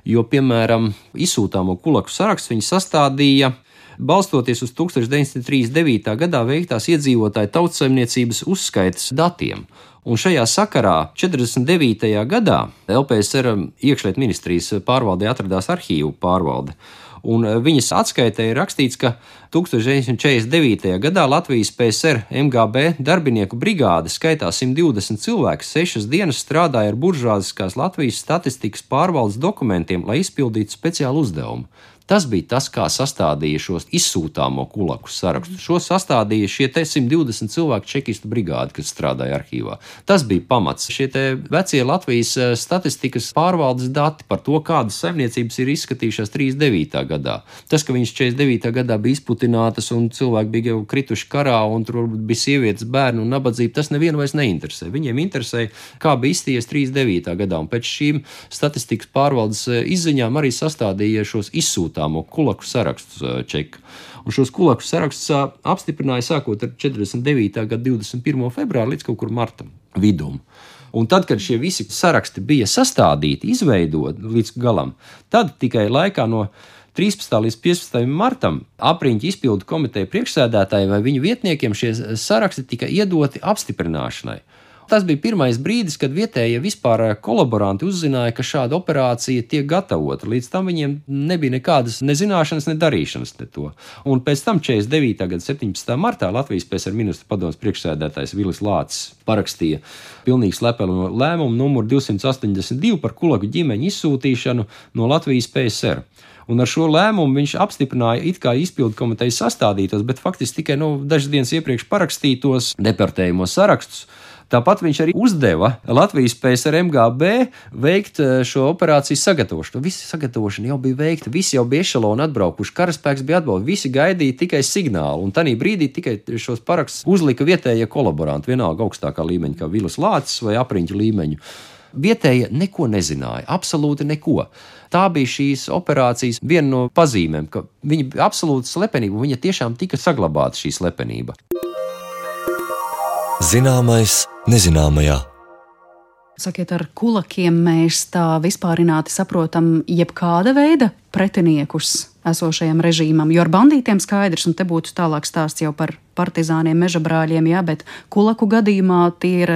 Jo, piemēram, izsūtāmo kulaku sarakstu viņi sastādīja balstoties uz tūkstoš deviņsimt trīsdesmit devītā gadā veiktās iedzīvotāju tautsaimniecības uzskaites datiem. Un šajā sakarā četrdesmit devītajā gadā L P S R iekšlietu ministrijas pārvaldē atradās arhīvu pārvalde. Un viņas atskaitē ir rakstīts, ka tūkstoš deviņsimt četrdesmit devītajā gadā Latvijas P S R M G B darbinieku brigāde skaitā simt divdesmit cilvēki sešas dienas strādāja ar buržuāziskās Latvijas statistikas pārvaldes dokumentiem, lai izpildītu speciālu uzdevumu. Tas bija tas, kā sastādīja šos izsūtāmo kulaku sarakstu. Šo sastādīja šie te simt divdesmit cilvēku čekistu brigādi, kas strādāja arhīvā. Tas bija pamats. Šie te vecie Latvijas statistikas pārvaldes dati par to, kādas saimniecības ir izskatījušās trīsdesmit devītā gadā. Tas, ka viņas četrdesmit devītā gadā bija izputinātas un cilvēki bija jau krituši karā un tur bija sievietes, bērni un nabadzība, tas nevienu vairs neinteresē. Viņiem interesē, kā bija izstījies trīsdesmit devītā gadā. Un pēc šīm statistikas pārvaldes izziņām arī sastādīja šos izsūtājumus kulaku sarakstus Čeka. Un šos kulaku sarakstus apstiprināja sākot ar četrdesmit devītā gada divdesmit pirmo februāru līdz kaut kur martam vidum. Un tad, kad šie visi saraksti bija sastādīti, izveidoti līdz galam, tad tikai laikā no trīspadsmitā līdz piecpadsmitajam martam apriņķa izpildu komiteja priekšsēdētāji vai viņu vietniekiem šie saraksti tika iedoti apstiprināšanai. Tas bija pirmais brīdis, kad vietējie vispār kolaboranti uzzināja, ka šāda operācija tiek gatavota. Līdz tam viņiem nebija nekādas nezināšanas, ne darīšanas ne to. Un pēc tam četrdesmit devītā gada septiņpadsmitā martā Latvijas P S R ministru padomes priekšsēdētājs Vilis Lācis parakstīja pilnīgi slepeno lēmumu numuru divsimt astoņdesmit divi par kulaku ģimeņu izsūtīšanu no Latvijas P S R. Un ar šo lēmumu viņš apstiprināja it kā izpildu komitejas sastādītos, bet faktiski tikai nu, dažas dienas iepriekš parakstītos deportējumos sarakstus. Tāpat viņš arī uzdeva Latvijas P S R M G B veikt šo operāciju sagatavošanu. Visi sagatavošana jau bija veikta, visi jau bija ešaloni atbraukuši, karaspēks bija atbalsts, visi gaidīja tikai signālu. Un tanī brīdī tikai šos parakstus uzlika vietējie kolaboranti, vienalga augstākā līmeņa, kā Vilis Lācis vai apriņķa līmeņu. Vietējie neko nezināja, absolūti neko. Tā bija šīs operācijas viena no pazīmēm, ka viņa bija absolūti slepenība, un viņa tiešām tika saglabāta šī slepenība. Zināmais nezināmajā. Sakiet, ar kulakiem mēs tā vispārināti saprotam jebkāda veida pretiniekus esošajam režīmam, jo ar bandītiem skaidrs, un te būtu tālāk stāsts jau par partizāniem, mežabrāļiem, jā, bet kulaku gadījumā tie ir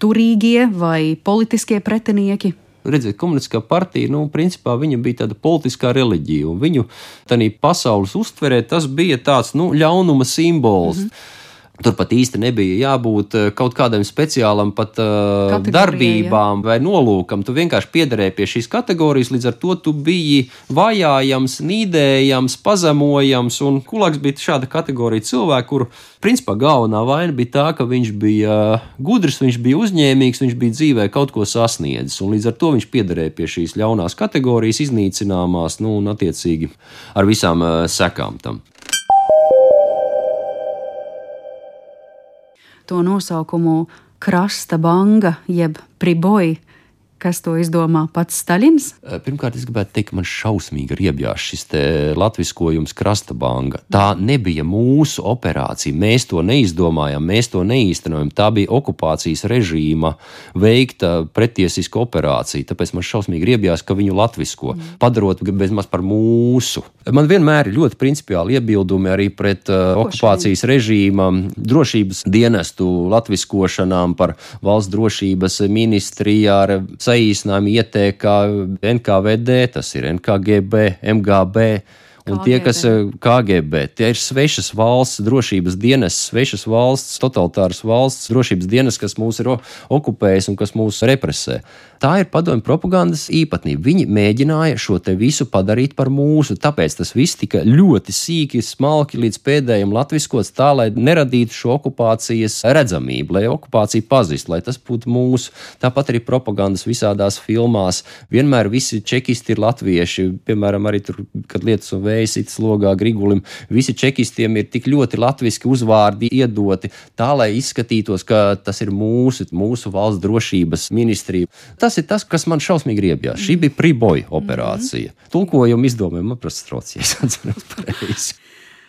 turīgie vai politiskie pretinieki. Redziet, komunistiskā partija, nu, principā viņa bija tāda politiskā reliģija, un viņu tādā pasaules uztverē tas bija tāds, nu, ļaunuma simbols. Mm-hmm. Tur pat īsti nebija jābūt kaut kādam speciālam pat uh, darbībām vai nolūkam. Tu vienkārši piederēji pie šīs kategorijas, līdz ar to tu biji vajājams, nīdējams, pazemojams, un kulaks bija šāda kategorija cilvēku, kuru principā galvenā vaina bija tā, ka viņš bija gudrs, viņš bija uzņēmīgs, viņš bija dzīvē kaut ko sasniedzis, un līdz ar to viņš piederēja pie šīs ļaunās kategorijas, iznīcināmās, nu, un attiecīgi ar visām uh, sekām tam. To nosaukumu krasta banga, jeb priboj, kas to izdomā pats Staļins? Pirmkārt, es gribētu teikt, ka man šausmīgi riebjās šis te latviskojums krasta banga. Tā nebija mūsu operācija, mēs to neizdomājam, mēs to neīstenojam. Tā bija okupācijas režīma veikta pretiesiska operācija, tāpēc man šausmīgi riebjās, ka viņu latvisko, mm. padarot bezmaz par mūsu. Man vienmēr ir ļoti principiāli iebildumi arī pret uh, okupācijas režīma drošības dienestu latviskošanām par valsts drošības ministrijā ar saīsinājumi I T K, N K V D, tas ir N K G B, M G B. Un tie, kas K G B, tie ir svešas valsts drošības dienas, svešas valsts, totalitāras valsts drošības dienas, kas mūs ir okupējis un kas mūs represē. Tā ir padomju propagandas īpatnība. Viņi mēģināja šo te visu padarīt par mūsu, tāpēc tas viss tika ļoti sīki, smalki līdz pēdējiem latviskots tā, lai neradītu šo okupācijas redzamību, lai okupācija pazist, lai tas būtu mūsu. Tāpat arī propagandas visādās filmās. Vienmēr visi čekisti ir latvieši, piemēram, arī tur, kad lietas un vējas it slogā Grigulim, visi čekistiem ir tik ļoti latviski uzvārdi iedoti, tā, lai izskatītos, ka tas ir mūsu, mūsu valsts drošības ministrija. Tas ir tas, kas man šausmīgi riebjās. Šī bija Priboja operācija. Mm-hmm. Tulkojumu izdomāja Maprastrots, ja es atceros pareizi.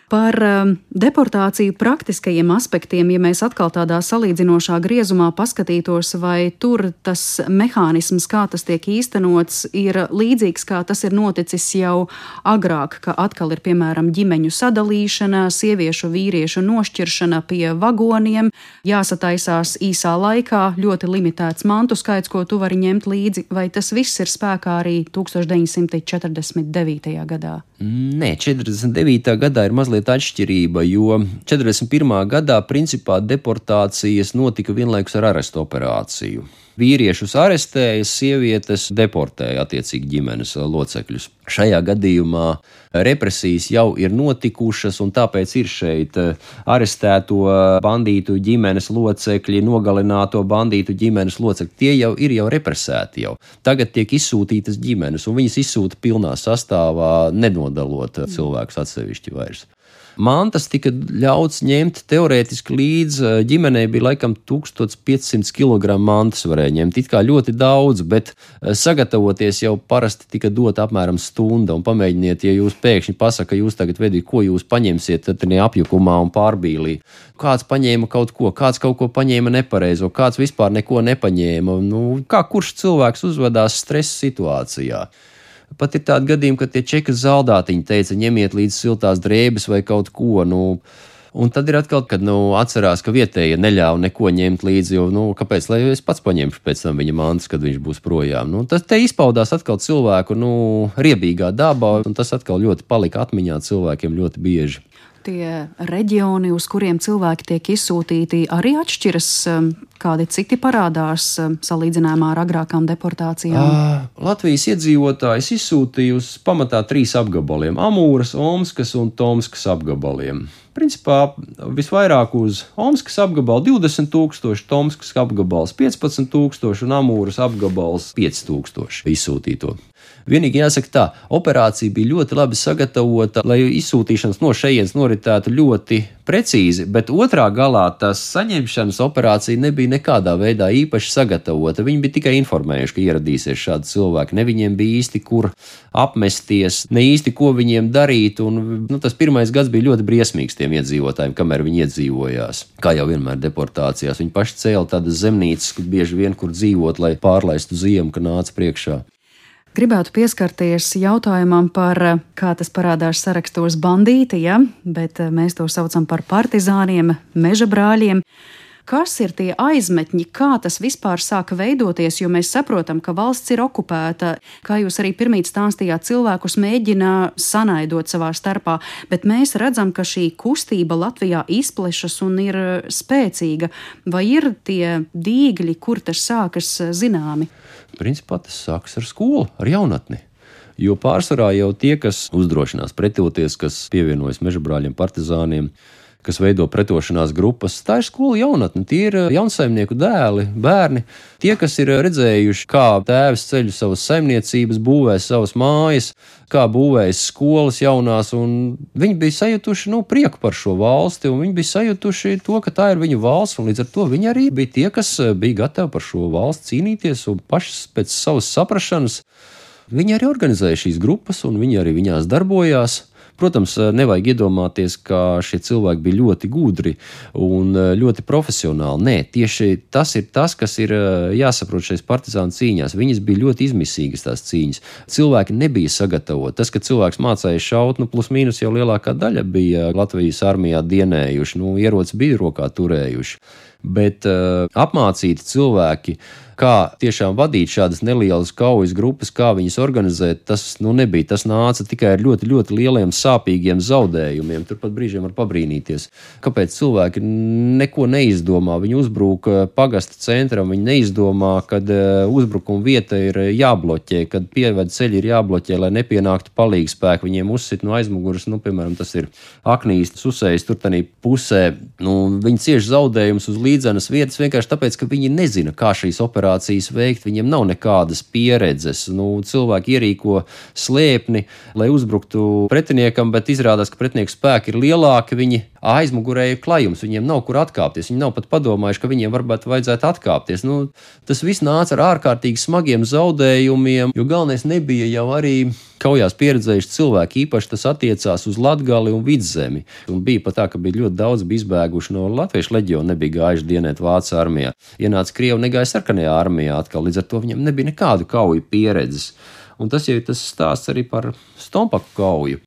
Par um, deportāciju praktiskajiem aspektiem, ja mēs atkal tādā salīdzinošā griezumā paskatītos, vai tur tas mehānisms, kā tas tiek īstenots, ir līdzīgs, kā tas ir noticis jau agrāk, ka atkal ir, piemēram, ģimeņu sadalīšana, sieviešu vīriešu nošķiršana pie vagoniem, jāsataisās īsā laikā, ļoti limitēts mantu skaits, ko tu vari ņemt līdzi, vai tas viss ir spēkā arī tūkstoš deviņi simti četrdesmit devītajā gadā? Nē, četrdesmit devītajā gadā ir mazliet atšķirība, jo četrdesmit pirmā gadā principā deportācijas notika vienlaikus ar arestu operāciju. Vīriešus arestēja, sievietes deportēja attiecīgi ģimenes locekļus. Šajā gadījumā represijas jau ir notikušas, un tāpēc ir šeit arestēto bandītu ģimenes locekļi, nogalināto bandītu ģimenes locekļi. Tie jau ir jau represēti jau. Tagad tiek izsūtītas ģimenes, un viņas izsūta pilnā sastāvā, nenodalot cilvēkus atsevišķi vairs. Mantas tika ļauts ņemt teorētiski līdz ģimenei bija laikam tūkstoš piecsimt kilogramu mantas varēja ņemt, it kā ļoti daudz, bet sagatavoties jau parasti tika dot apmēram stunda un pamēģiniet, ja jūs pēkšņi pasaka, jūs tagad vedīt, ko jūs paņemsiet tad apjukumā un pārbīlī. Kāds paņēma kaut ko, kāds kaut ko paņēma nepareizo, kāds vispār neko nepaņēma, nu, kā kurš cilvēks uzvedās stresa situācijā. Pat ir tādi gadījumi, ka tie čekas zaldātiņi teica, ņemiet līdz siltās drēbes vai kaut ko, nu, un tad ir atkal, kad, nu, atcerās, ka vietējie neļauj neko ņemt līdzi, jo, nu, kāpēc, lai es pats paņemšu pēc tam viņa mantas, kad viņš būs projām. Nu, tas te izpaudās atkal cilvēku, nu, riebīgā dabā, un tas atkal ļoti palika atmiņā cilvēkiem ļoti bieži. Tie reģioni, uz kuriem cilvēki tiek izsūtīti, arī atšķiras, kādi citi parādās salīdzinājumā ar agrākām deportācijām? Latvijas iedzīvotājs izsūtīja uz pamatā trīs apgabaliem – Amūras, Omskas un Tomskas apgabaliem. Principā visvairāk uz Omskas apgabalu divdesmit tūkstoši, Tomskas apgabals piecpadsmit tūkstoši un Amūras apgabals pieci tūkstoši izsūtīto. Vienīgi jāsaka tā, operācija bija ļoti labi sagatavota, lai izsūtīšanas no šejienes noritētu ļoti precīzi, bet otrā galā tās saņemšanas operācija nebija nekādā veidā īpaši sagatavota. Viņi bija tikai informējuši, ka ieradīsies šādi cilvēki. Ne viņiem bija īsti, kur apmesties, ne īsti, ko viņiem darīt, un nu, tas pirmais gads bija ļoti briesmīgs tiem iedzīvotājiem, kamēr viņi iedzīvojās. Kā jau vienmēr deportācijās, viņi paši cēla tādas zemnīcas, bieži vien, kur dzīvot, lai pārlaistu ziemu, ka nāca priekšā. Gribētu pieskarties jautājumam par, kā tas parādās sarakstos bandīti, ja? Bet mēs to saucam par partizāniem, meža brāļiem. Kas ir tie aizmetņi, kā tas vispār sāka veidoties, jo mēs saprotam, ka valsts ir okupēta, kā jūs arī pirmīt stāstījāt, cilvēkus mēģina sanaidot savā starpā, bet mēs redzam, ka šī kustība Latvijā izplešas un ir spēcīga. Vai ir tie dīgļi, kur tas sākas zināmi? Principā tas sākas ar skolu, ar jaunatni. Jo pārsvarā jau tie, kas uzdrošinās pretoties, kas pievienojas meža brāļiem, partizāniem, kas veido pretošanās grupas, tā ir skola jaunatne, tie ir jaunsaimnieku dēli, bērni. Tie, kas ir redzējuši, kā tēvs ceļ savas saimniecības, būvēs savas mājas, kā būvēs skolas jaunās, un viņi bija sajutuši nu, prieku par šo valsti, un viņi bija sajutuši to, ka tā ir viņu valsts, un līdz ar to viņi arī bija tie, kas bija gatavi par šo valsti cīnīties, un paši pēc savas saprašanas viņi arī organizēja šīs grupas, un viņi arī viņās darbojās. Protams, nevajag iedomāties, ka šie cilvēki bija ļoti gudri un ļoti profesionāli. Nē, tieši tas ir tas, kas ir jāsaprot šais partizānu cīņās. Viņas bija ļoti izmisīgas tās cīņas. Cilvēki nebija sagatavoti. Tas, ka cilvēks mācēja šaut, nu plus mīnus jau lielākā daļa bija Latvijas armijā dienējuši, nu ieroci bija rokā turējuši. Bet uh, apmācīti cilvēki Kā tiešām vadīt šādas nelielas kaujas grupas, kā viņas organizēt, tas nu, nebija. Tas nāca tikai ar ļoti, ļoti lieliem sāpīgiem zaudējumiem. Turpat brīžiem var pabrīnīties, kāpēc cilvēki neko neizdomā. Viņi uzbrūk pagasta centram, viņi neizdomā, kad uzbrukuma vieta ir jābloķē, kad pieved ceļi ir jābloķē, lai nepienāktu palīgspēki. Viņiem uzsit no aizmuguras, nu, piemēram, tas ir aknīstas uzsējis tur tanī pusē. Nu, viņi cieši zaudējumus uz līdzenas vietas vienkārši tāpēc, ka viņi nezina, kā šīs operācijas veikt, viņiem nav nekādas pieredzes. Nu, cilvēki ierīko slēpni, lai uzbruktu pretiniekam, bet izrādās, ka pretinieku spēki ir lielāki, viņi aizmugurē ir klajums, viņiem nav kur atkāpties, viņi nav pat padomājuši, ka viņiem varbūt vajadzētu atkāpties. Nu, tas viss nāca ar ārkārtīgi smagiem zaudējumiem, jo galvenais nebija jau arī kaujās pieredzējuši cilvēki, īpaši tas attiecās uz Latgali un Vidzemi. Un bija pat tā, ka bija ļoti daudz bija izbēguši no Latviešu leģiona, nebija gājuši dienēt Vācu armijā. Ienāca Krievi, negāja sarkanajā armijā atkal, līdz ar to viņam nebija nekādu kauju pieredzes. Un tas jau ir tas stāsts arī par Stompaku kauju,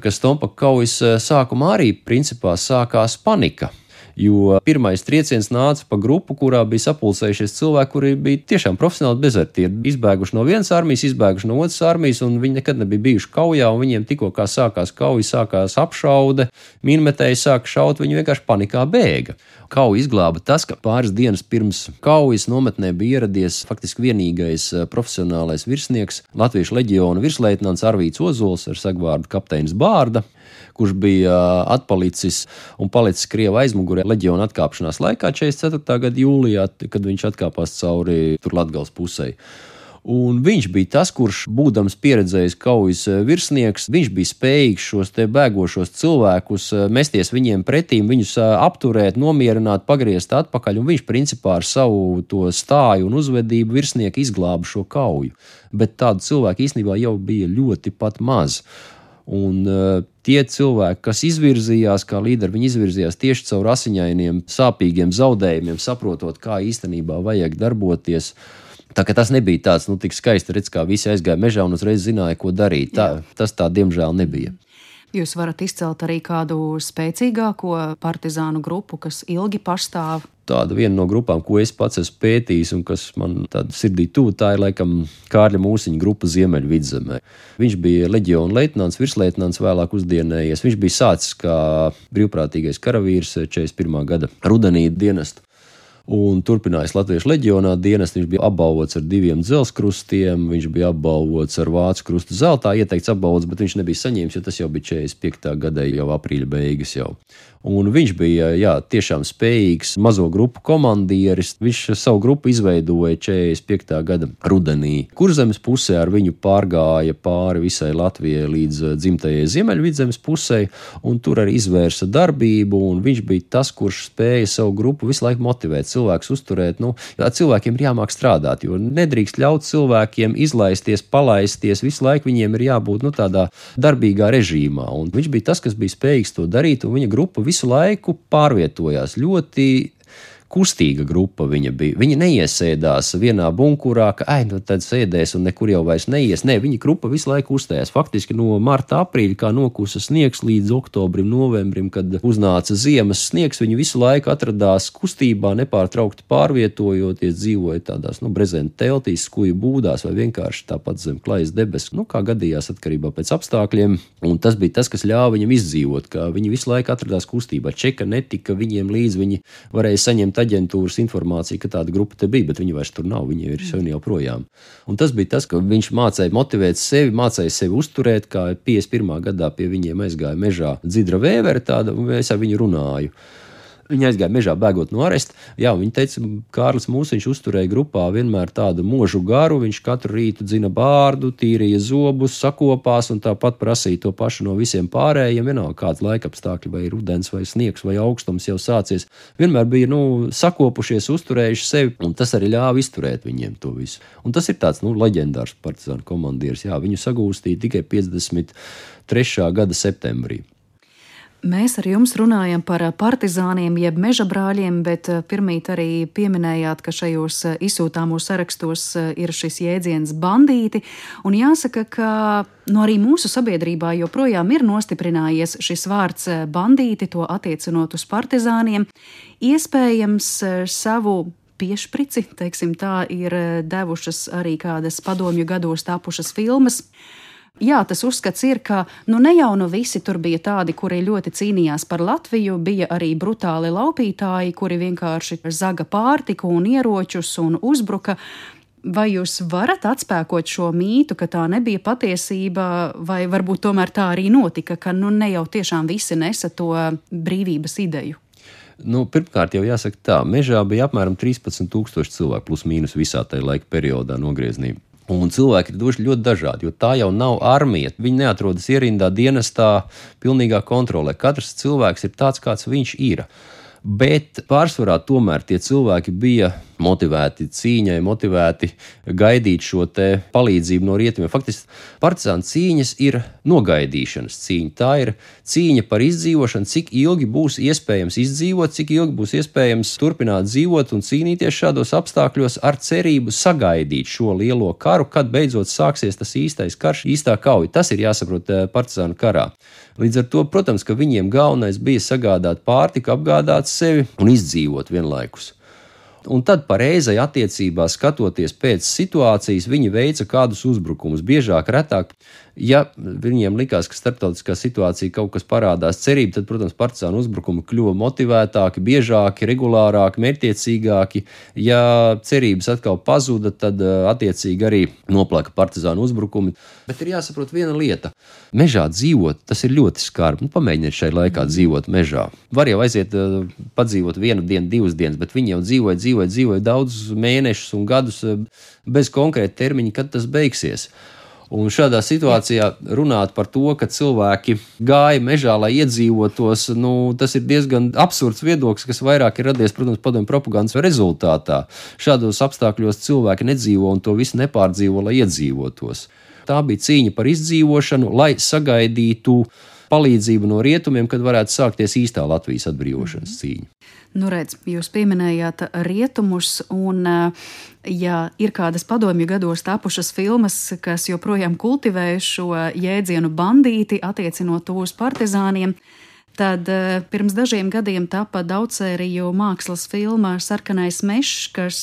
ka Stompaku kaujas sākumā arī principā sākās panika. Jo pirmais trieciens nāca pa grupu, kurā bija sapulcējušies cilvēki, kuri bija tiešām profesionāli bezarti. Ir izbēguši no vienas armijas, izbēguši no otras armijas, un viņi nekad nebija bijuši kaujā, un viņiem tikko kā sākās kauja, sākās apšaude, minmetēji sāka šaut, viņi vienkārši panikā bēga. Kauju izglāba tas, ka pāris dienas pirms kaujas nometnē bija ieradies faktiski vienīgais profesionālais virsnieks, Latviešu leģiona virsleitnants Arvīts Ozols ar sagvārdu kapteinis Bārda, kurš bija atpalicis un palicis Krievu aizmugurē leģiona atkāpšanās laikā četrdesmit ceturtā gada jūlijā, kad viņš atkāpās cauri tur Latgales pusei. Un viņš bija tas, kurš, būdams pieredzējis kaujas virsnieks, viņš bija spējīgs šos te bēgošos cilvēkus mesties viņiem pretīm, viņus apturēt, nomierināt, pagriezt atpakaļ, un viņš principā ar savu to stāju un uzvedību virsnieku izglāba šo kauju. Bet tādu cilvēku īstenībā jau bija ļoti pat maz. Un uh, tie cilvēki, kas izvirzījās kā līderi, viņi izvirzījās tieši caur asiņainiem, sāpīgiem zaudējumiem, saprotot, kā īstenībā vajag darboties. Tā ka tas nebija tāds, nu, tik skaisti redz, kā visi aizgāja mežā un uzreiz zināja, ko darīt. Tā, tas tā diemžēl nebija. Jūs varat izcelt arī kādu spēcīgāko partizānu grupu, kas ilgi pastāv? Tāda viena no grupām, ko es pats esmu pētījis un kas man tāda sirdī tuvu, tā ir laikam Kārļa Mūsiņa grupa Ziemeļvidzemē. Viņš bija leģiona leitnants, virsleitnants, vēlāk uzdienējies. Viņš bija sācis kā brīvprātīgais karavīrs četrdesmit pirmā gada rudenī dienestu. Un turpinājis Latviešu leģionā dienestu. Viņš bija apbalvots ar diviem dzelzkrustiem, viņš bija apbalvots ar vācu krustu zeltā, ieteikts apbalvots, bet viņš nebija saņēmis, jo tas jau bija četrdesmit piektā gada jau aprīļa beigas jau. Un viņš bija, jā, tiešām spējīgs mazo grupu komandieris. Viņš savu grupu izveidoja četrdesmit piektā gada rudenī. Kurzemes pusē ar viņu pārgāja pāri visai Latvijai līdz dzimtajai Ziemeļvidzemes pusē, un tur arī izvērsa darbību, un viņš bija tas, kurš spēja savu grupu visu laiku motivēt, cilvēks uzturēt. Nu, cilvēkiem ir jāmāk strādāt, jo nedrīkst ļaut cilvēkiem izlaisties, palaisties, visu laiku viņiem ir jābūt nu, tādā darbīgā režīmā. Un viņš bija tas, kas bija spējīgs to darīt, un viņa grupa visu laiku pārvietojās. Ļoti kustīga grupa viņa bija. Viņa neiesēdās vienā bunkurā, ka, ai, nu tad sēdēs un nekur jau vairs neies. Nē, viņa grupa visu laiku uzstājās. Faktiski no marta, aprīļa, kā nokusa sniegs līdz oktobrim, novembrim, kad uznāca ziemas sniegs, viņi visu laiku atradās kustībā, nepārtraukti pārvietojoties, dzīvoja tādās, nu, brezentu teltīs, skuju būdās vai vienkārši tāpat zem klajas debes, nu, kā gadījās atkarībā pēc apstākļiem. Un tas bija tas, kas ļāva viņam izdzīvot, ka viņi visu laiku atradās kustībā. Čeka netika viņiem līdz, viņi varēja saņemt aģentūras informācija, ka tāda grupa te bija, bet viņi vairs tur nav, viņi ir sen jau projām. Un tas bija tas, ka viņš mācēja motivēt sevi, mācēja sevi uzturēt, kā piecdesmit pirmā gadā pie viņiem aizgāja mežā Dzidra Vēvere tāda, un es ar viņu runāju. Viņi aizgāja mežā bēgot no aresta. Jā, viņi teica, Kārlis Mūsiņš uzturēja grupā vienmēr tādu možu garu, viņš katru rītu dzina bārdu, tīrīja zobus, sakopās un tāpat prasīja to pašu no visiem pārējiem, vienalga kāds laikapstākļi, vai rudens, vai sniegs, vai augstums jau sācies. Vienmēr bija, nu, sakopušies, uzturējuši sevi, un tas arī ļāva izturēt viņiem to visu. Un tas ir tāds, nu, leģendārs partizānu komandieris. Jā, viņu sagūstīja tikai piecdesmit trešā gada septembrī. Mēs ar jums runājam par partizāniem jeb meža brāļiem, bet pirmīt arī pieminējāt, ka šajos izsūtāmos sarakstos ir šis jēdziens bandīti, un jāsaka, ka no arī mūsu sabiedrībā joprojām ir nostiprinājies šis vārds bandīti, to attiecinot uz partizāniem. Iespējams savu piešprici, teiksim tā, ir devušas arī kādas padomju gados tapušas filmas. Jā, tas uzskats ir, ka nu ne jau nu visi tur bija tādi, kuri ļoti cīnījās par Latviju, bija arī brutāli laupītāji, kuri vienkārši zaga pārtiku un ieročus un uzbruka. Vai jūs varat atspēkot šo mītu, ka tā nebija patiesība, vai varbūt tomēr tā arī notika, ka nu ne jau tiešām visi nesa to brīvības ideju? Nu, pirmkārt jau jāsaka tā, mežā bija apmēram trīspadsmit tūkstoši cilvēku plus mīnus visā tajā laika periodā nogrieznī. Un cilvēki ir doši ļoti dažādi, jo tā jau nav armija. Viņi neatrodas ierindā dienestā pilnīgā kontrolē. Katrs cilvēks ir tāds, kāds viņš ir. Bet pārsvarā tomēr tie cilvēki bija motivēti cīņai, motivēti gaidīt šo te palīdzību no rietumiem. Faktiski partizānu cīņas ir nogaidīšanas cīņa. Tā ir cīņa par izdzīvošanu, cik ilgi būs iespējams izdzīvot, cik ilgi būs iespējams turpināt dzīvot un cīnīties šādos apstākļos ar cerību sagaidīt šo lielo karu, kad beidzot sāksies tas īstais karš, īstā kauja. Tas ir jāsaprot partizānu karā. Līdz ar to, protams, ka viņiem galvenais bija sagādāt pārtiku, apgādāt sevi un izdzīvot vienlaikus. Un tad pareizai attiecībā skatoties pēc situācijas, viņi veica kādus uzbrukumus. Biežāk, retāk, ja viņiem likās, ka starptautiskā situācija kaut kas parādās cerība, tad, protams, partizānu uzbrukumi kļuva motivētāki, biežāki, regulārāki, mērķtiecīgāki. Ja cerības atkal pazuda, tad attiecīgi arī noplaka partizānu uzbrukumi. Bet ir jāsaprot viena lieta. Mežā dzīvot, tas ir ļoti skarbi. Nu, pamēģiniet šai laikā dzīvot mežā. Var jau aiziet padzīvot vienu dienu, divas dienas, bet viņi jau dzīvoja, dzīvoja, dzīvoja daudzus mēnešus un gadus bez konkrēta termiņa, kad tas beigsies. Un šādā situācijā runāt par to, ka cilvēki gāja mežā, lai iedzīvotos, nu, tas ir diezgan absurds viedoklis, kas vairāk ir radies, protams, padomju propagandas rezultātā. Šādos apstākļos cilvēki nedzīvo un to visu nepārdzīvo, lai iedzīvotos. Tā bija cīņa par izdzīvošanu, lai sagaidītu palīdzību no rietumiem, kad varētu sākties īstā Latvijas atbrīvošanas cīņa. Nu, redz, jūs pieminējāt rietumus, un, ja ir kādas padomju gados tapušas filmas, kas joprojām kultivē šo jēdzienu bandīti, attiecinot to uz partizāniem, tad pirms dažiem gadiem tapa daudzsēriju mākslas filma Sarkanais mežs, kas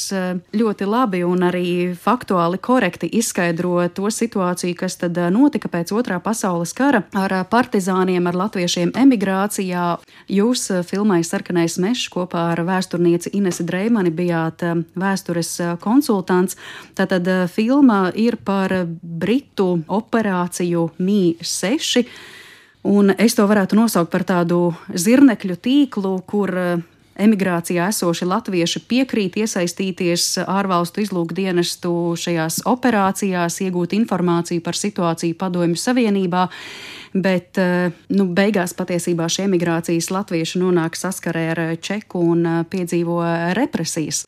ļoti labi un arī faktuāli korekti izskaidro to situāciju, kas tad notika pēc otrā pasaules kara ar partizāniem, ar latviešiem emigrācijā. Jūs filmai Sarkanais mežs kopā ar vēsturnieci Inesi Dreimani bijāt vēstures konsultants. Tātad filma ir par britu operāciju M I seši. Un es to varētu nosaukt par tādu zirnekļu tīklu, kur emigrācijā esoši latvieši piekrīt iesaistīties ārvalstu izlūkdienestu šajās operācijās, iegūt informāciju par situāciju Padomju Savienībā, bet nu, beigās patiesībā šie emigrācijas latvieši nonāk saskarē ar čeku un piedzīvo represijas.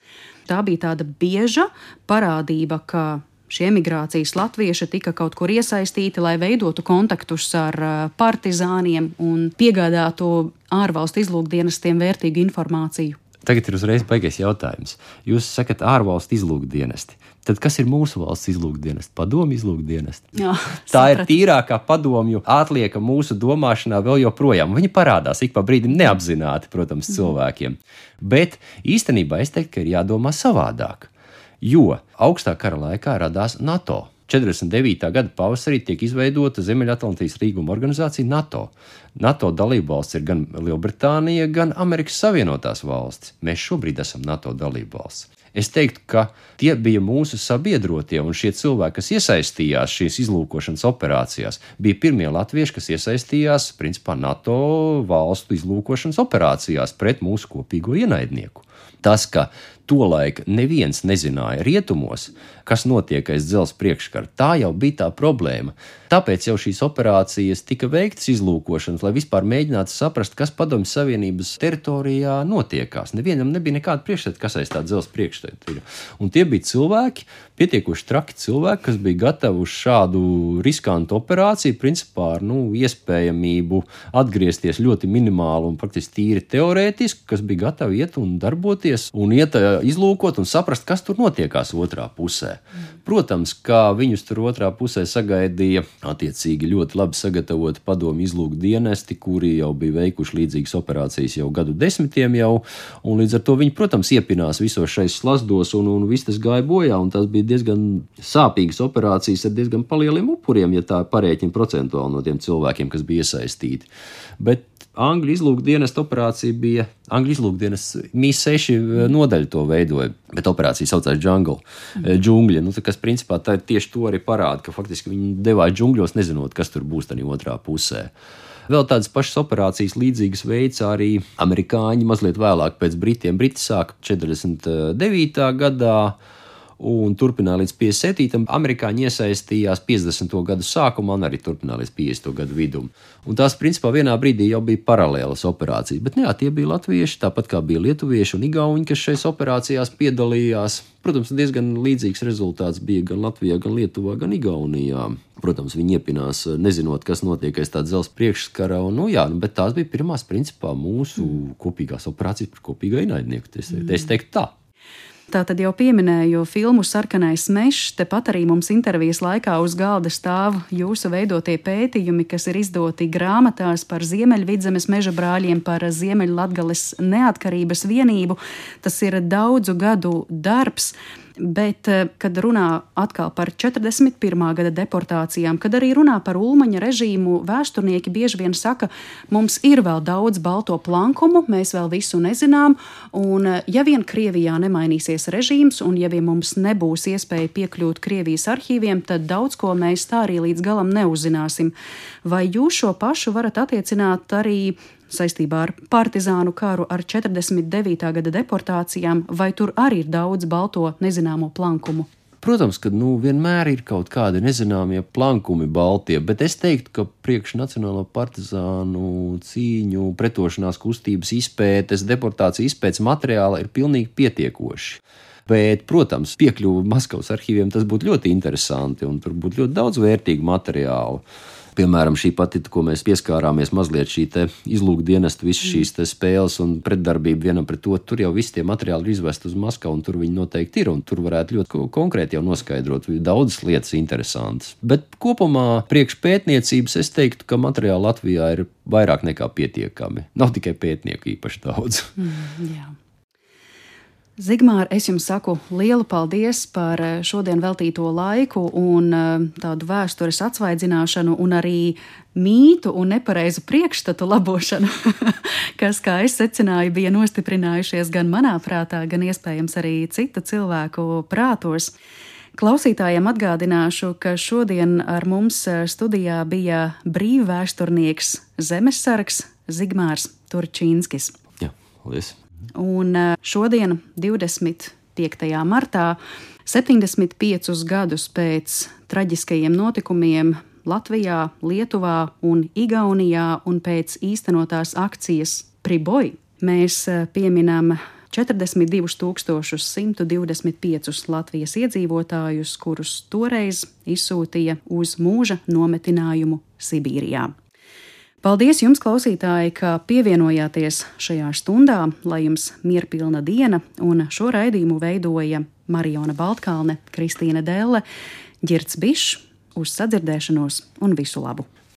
Tā bija tāda bieža parādība, ka šie emigrācijas latvieši tika kaut kur iesaistīti, lai veidotu kontaktus ar partizāniem un piegādātu ārvalstu izlūkdienestiem vērtīgu informāciju. Tagad ir uzreiz baigais jautājums. Jūs sakat ārvalstu izlūkdienesti. Tad kas ir mūsu valsts izlūkdienesti? Padomju izlūkdienesti. Jā, tā ir tīrākā padomju atlieka mūsu domāšanā vēl joprojām. Viņi parādās ik pa brīdim neapzināti, protams, cilvēkiem. Bet īstenībā es teiktu, ka ir jādomā savādāk. Jo augstā kara laikā radās NATO. četrdesmit devītā gada pavasarī tiek izveidota Ziemeļatlantijas līguma organizācija NATO. NATO dalībvalsts ir gan Lielbritānija, gan Amerikas Savienotās valstis. Mēs šobrīd esam NATO dalībvalsts. Es teiktu, ka tie bija mūsu sabiedrotie, un šie cilvēki, kas iesaistījās šīs izlūkošanas operācijās, bija pirmie latvieši, kas iesaistījās principā NATO valstu izlūkošanas operācijās pret mūsu kopīgo ienaidnieku. Tas, ka tolaik neviens nezināja rietumos, kas notiek aiz dzelzs priekškara, tā jau bija tā problēma. Tāpēc jau šīs operācijas tika veiktas izlūkošanas, lai vispār mēģinātu saprast, kas Padomju Savienības teritorijā notiekās. Nevienam nebija nekāda priekšstata, kas aiz tā dzelzs priekšstata ir. Un tie bija cilvēki, pietiekoši traki cilvēki, kas bija gatavi uz šādu riskantu operāciju, principā ar nu, iespējamību atgriezties ļoti minimāli un praktiski tīri teorētiski, kas bija gatavi iet un darboties un iet izlūkot un saprast, kas tur notiekās otrā pusē. Protams, kā viņus tur otrā pusē sagaidīja attiecīgi ļoti labi sagatavoti padomju izlūku dienesti, kuri jau bija veikuši līdzīgas operācijas jau gadu desmitiem jau, un līdz ar to viņi, protams, iepinās visos šais slazdos, un, un viss tas gāja bojā, un tās bija diezgan sāpīgas operācijas ar diezgan palieliem upuriem, ja tā parēķina procentuāli no tiem cilvēkiem, kas bija iesaistīti. Bet Angļu izlūkdienesta operācija bija, Angļu izlūkdienesta M I seši nodaļa to veidoja, bet operācija saucās Jungle, džungļi, nu, kas principā tā tieši to arī parāda, ka faktiski viņi devās džungļos, nezinot, kas tur būs tādā otrā pusē. Vēl tādas pašas operācijas līdzīgas veids arī amerikāņi mazliet vēlāk pēc britiem. Briti sāka četrdesmit devītā gadā, un turpināja līdz piecdesmit septītajam. Amerikāņi iesaistījās piecdesmito gadu sākumā un arī turpināja līdz piecdesmito gadu vidum. Un tās, principā, vienā brīdī jau bija paralēlas operācijas, bet jā, tie bija latvieši, tāpat kā bija lietuvieši un igauņi, kas šajās operācijās piedalījās. Protams, diezgan līdzīgs rezultāts bija gan Latvijā, gan Lietuvā, gan Igaunijā. Protams, viņi iepinās, nezinot, kas notiek aiz tā dzelzs priekšskara, un, nu jā, bet tās bija pirmās, principā, mūsu kopīgās operācijas par kopīgo ienaidnieku. Es, es teiktu tā. Tātad jau pieminēju filmu Sarkanais mežs, tepat arī mums intervijas laikā uz galda stāv jūsu veidotie pētījumi, kas ir izdoti grāmatās par Ziemeļvidzemes meža brāļiem, par Ziemeļlatgales neatkarības vienību. Tas ir daudzu gadu darbs. Bet, kad runā atkal par četrdesmit pirmā gada deportācijām, kad arī runā par Ulmaņa režīmu, vēsturnieki bieži vien saka, mums ir vēl daudz balto plankumu, mēs vēl visu nezinām, un ja vien Krievijā nemainīsies režīms, un ja vien mums nebūs iespēja piekļūt Krievijas arhīviem, tad daudz ko mēs tā arī līdz galam neuzzināsim. Vai jūs šo pašu varat attiecināt arī saistībā ar partizānu karu, ar četrdesmit devītā gada deportācijām, vai tur arī ir daudz balto nezināmo plankumu? Protams, ka nu, vienmēr ir kaut kādi nezināmie plankumi baltie, bet es teiktu, ka priekš nacionālo partizānu cīņu, pretošanās kustības izpētes, deportāciju izpētes materiāla ir pilnīgi pietiekoši. Bet, protams, piekļuva Maskavas arhīviem tas būtu ļoti interesanti, un tur būtu ļoti daudz vērtīgu materiālu. Piemēram, šī pati, ko mēs pieskārāmies mazliet šī te izlūkdienestu, visas šīs te spēles un pretdarbība vienam pret to, tur jau visi tie materiāli ir izvesti uz Maskavu, un tur viņi noteikti ir, un tur varētu ļoti konkrēti jau noskaidrot daudzas lietas interesantas. Bet kopumā priekš pētniecības es teiktu, ka materiāli Latvijā ir vairāk nekā pietiekami. Nav tikai pētnieku īpaši daudz. Mm, jā. Zigmār, es jums saku lielu paldies par šodien veltīto laiku un tādu vēstures atsvaidzināšanu un arī mītu un nepareizu priekšstatu labošanu, kas, kā es secināju, bija nostiprinājušies gan manā prātā, gan iespējams arī citu cilvēku prātos. Klausītājiem atgādināšu, ka šodien ar mums studijā bija brīvvēsturnieks zemesargs Zigmārs Turčīnskis. Jā, paldies. Un šodien, divdesmit piektajā martā, septiņdesmit piecus gadus pēc traģiskajiem notikumiem Latvijā, Lietuvā un Igaunijā un pēc īstenotās akcijas Priboj, mēs pieminam četrdesmit divus tūkstošus simtu divdesmit piecus Latvijas iedzīvotājus, kurus toreiz izsūtīja uz mūža nometinājumu Sibīrijā. Paldies jums, klausītāji, ka pievienojāties šajā stundā, lai jums mierpilna diena, un šo raidījumu veidoja Mariona Baltkalne, Kristīna Delle, Ģirds Bišs, uz sadzirdēšanos un visu labu!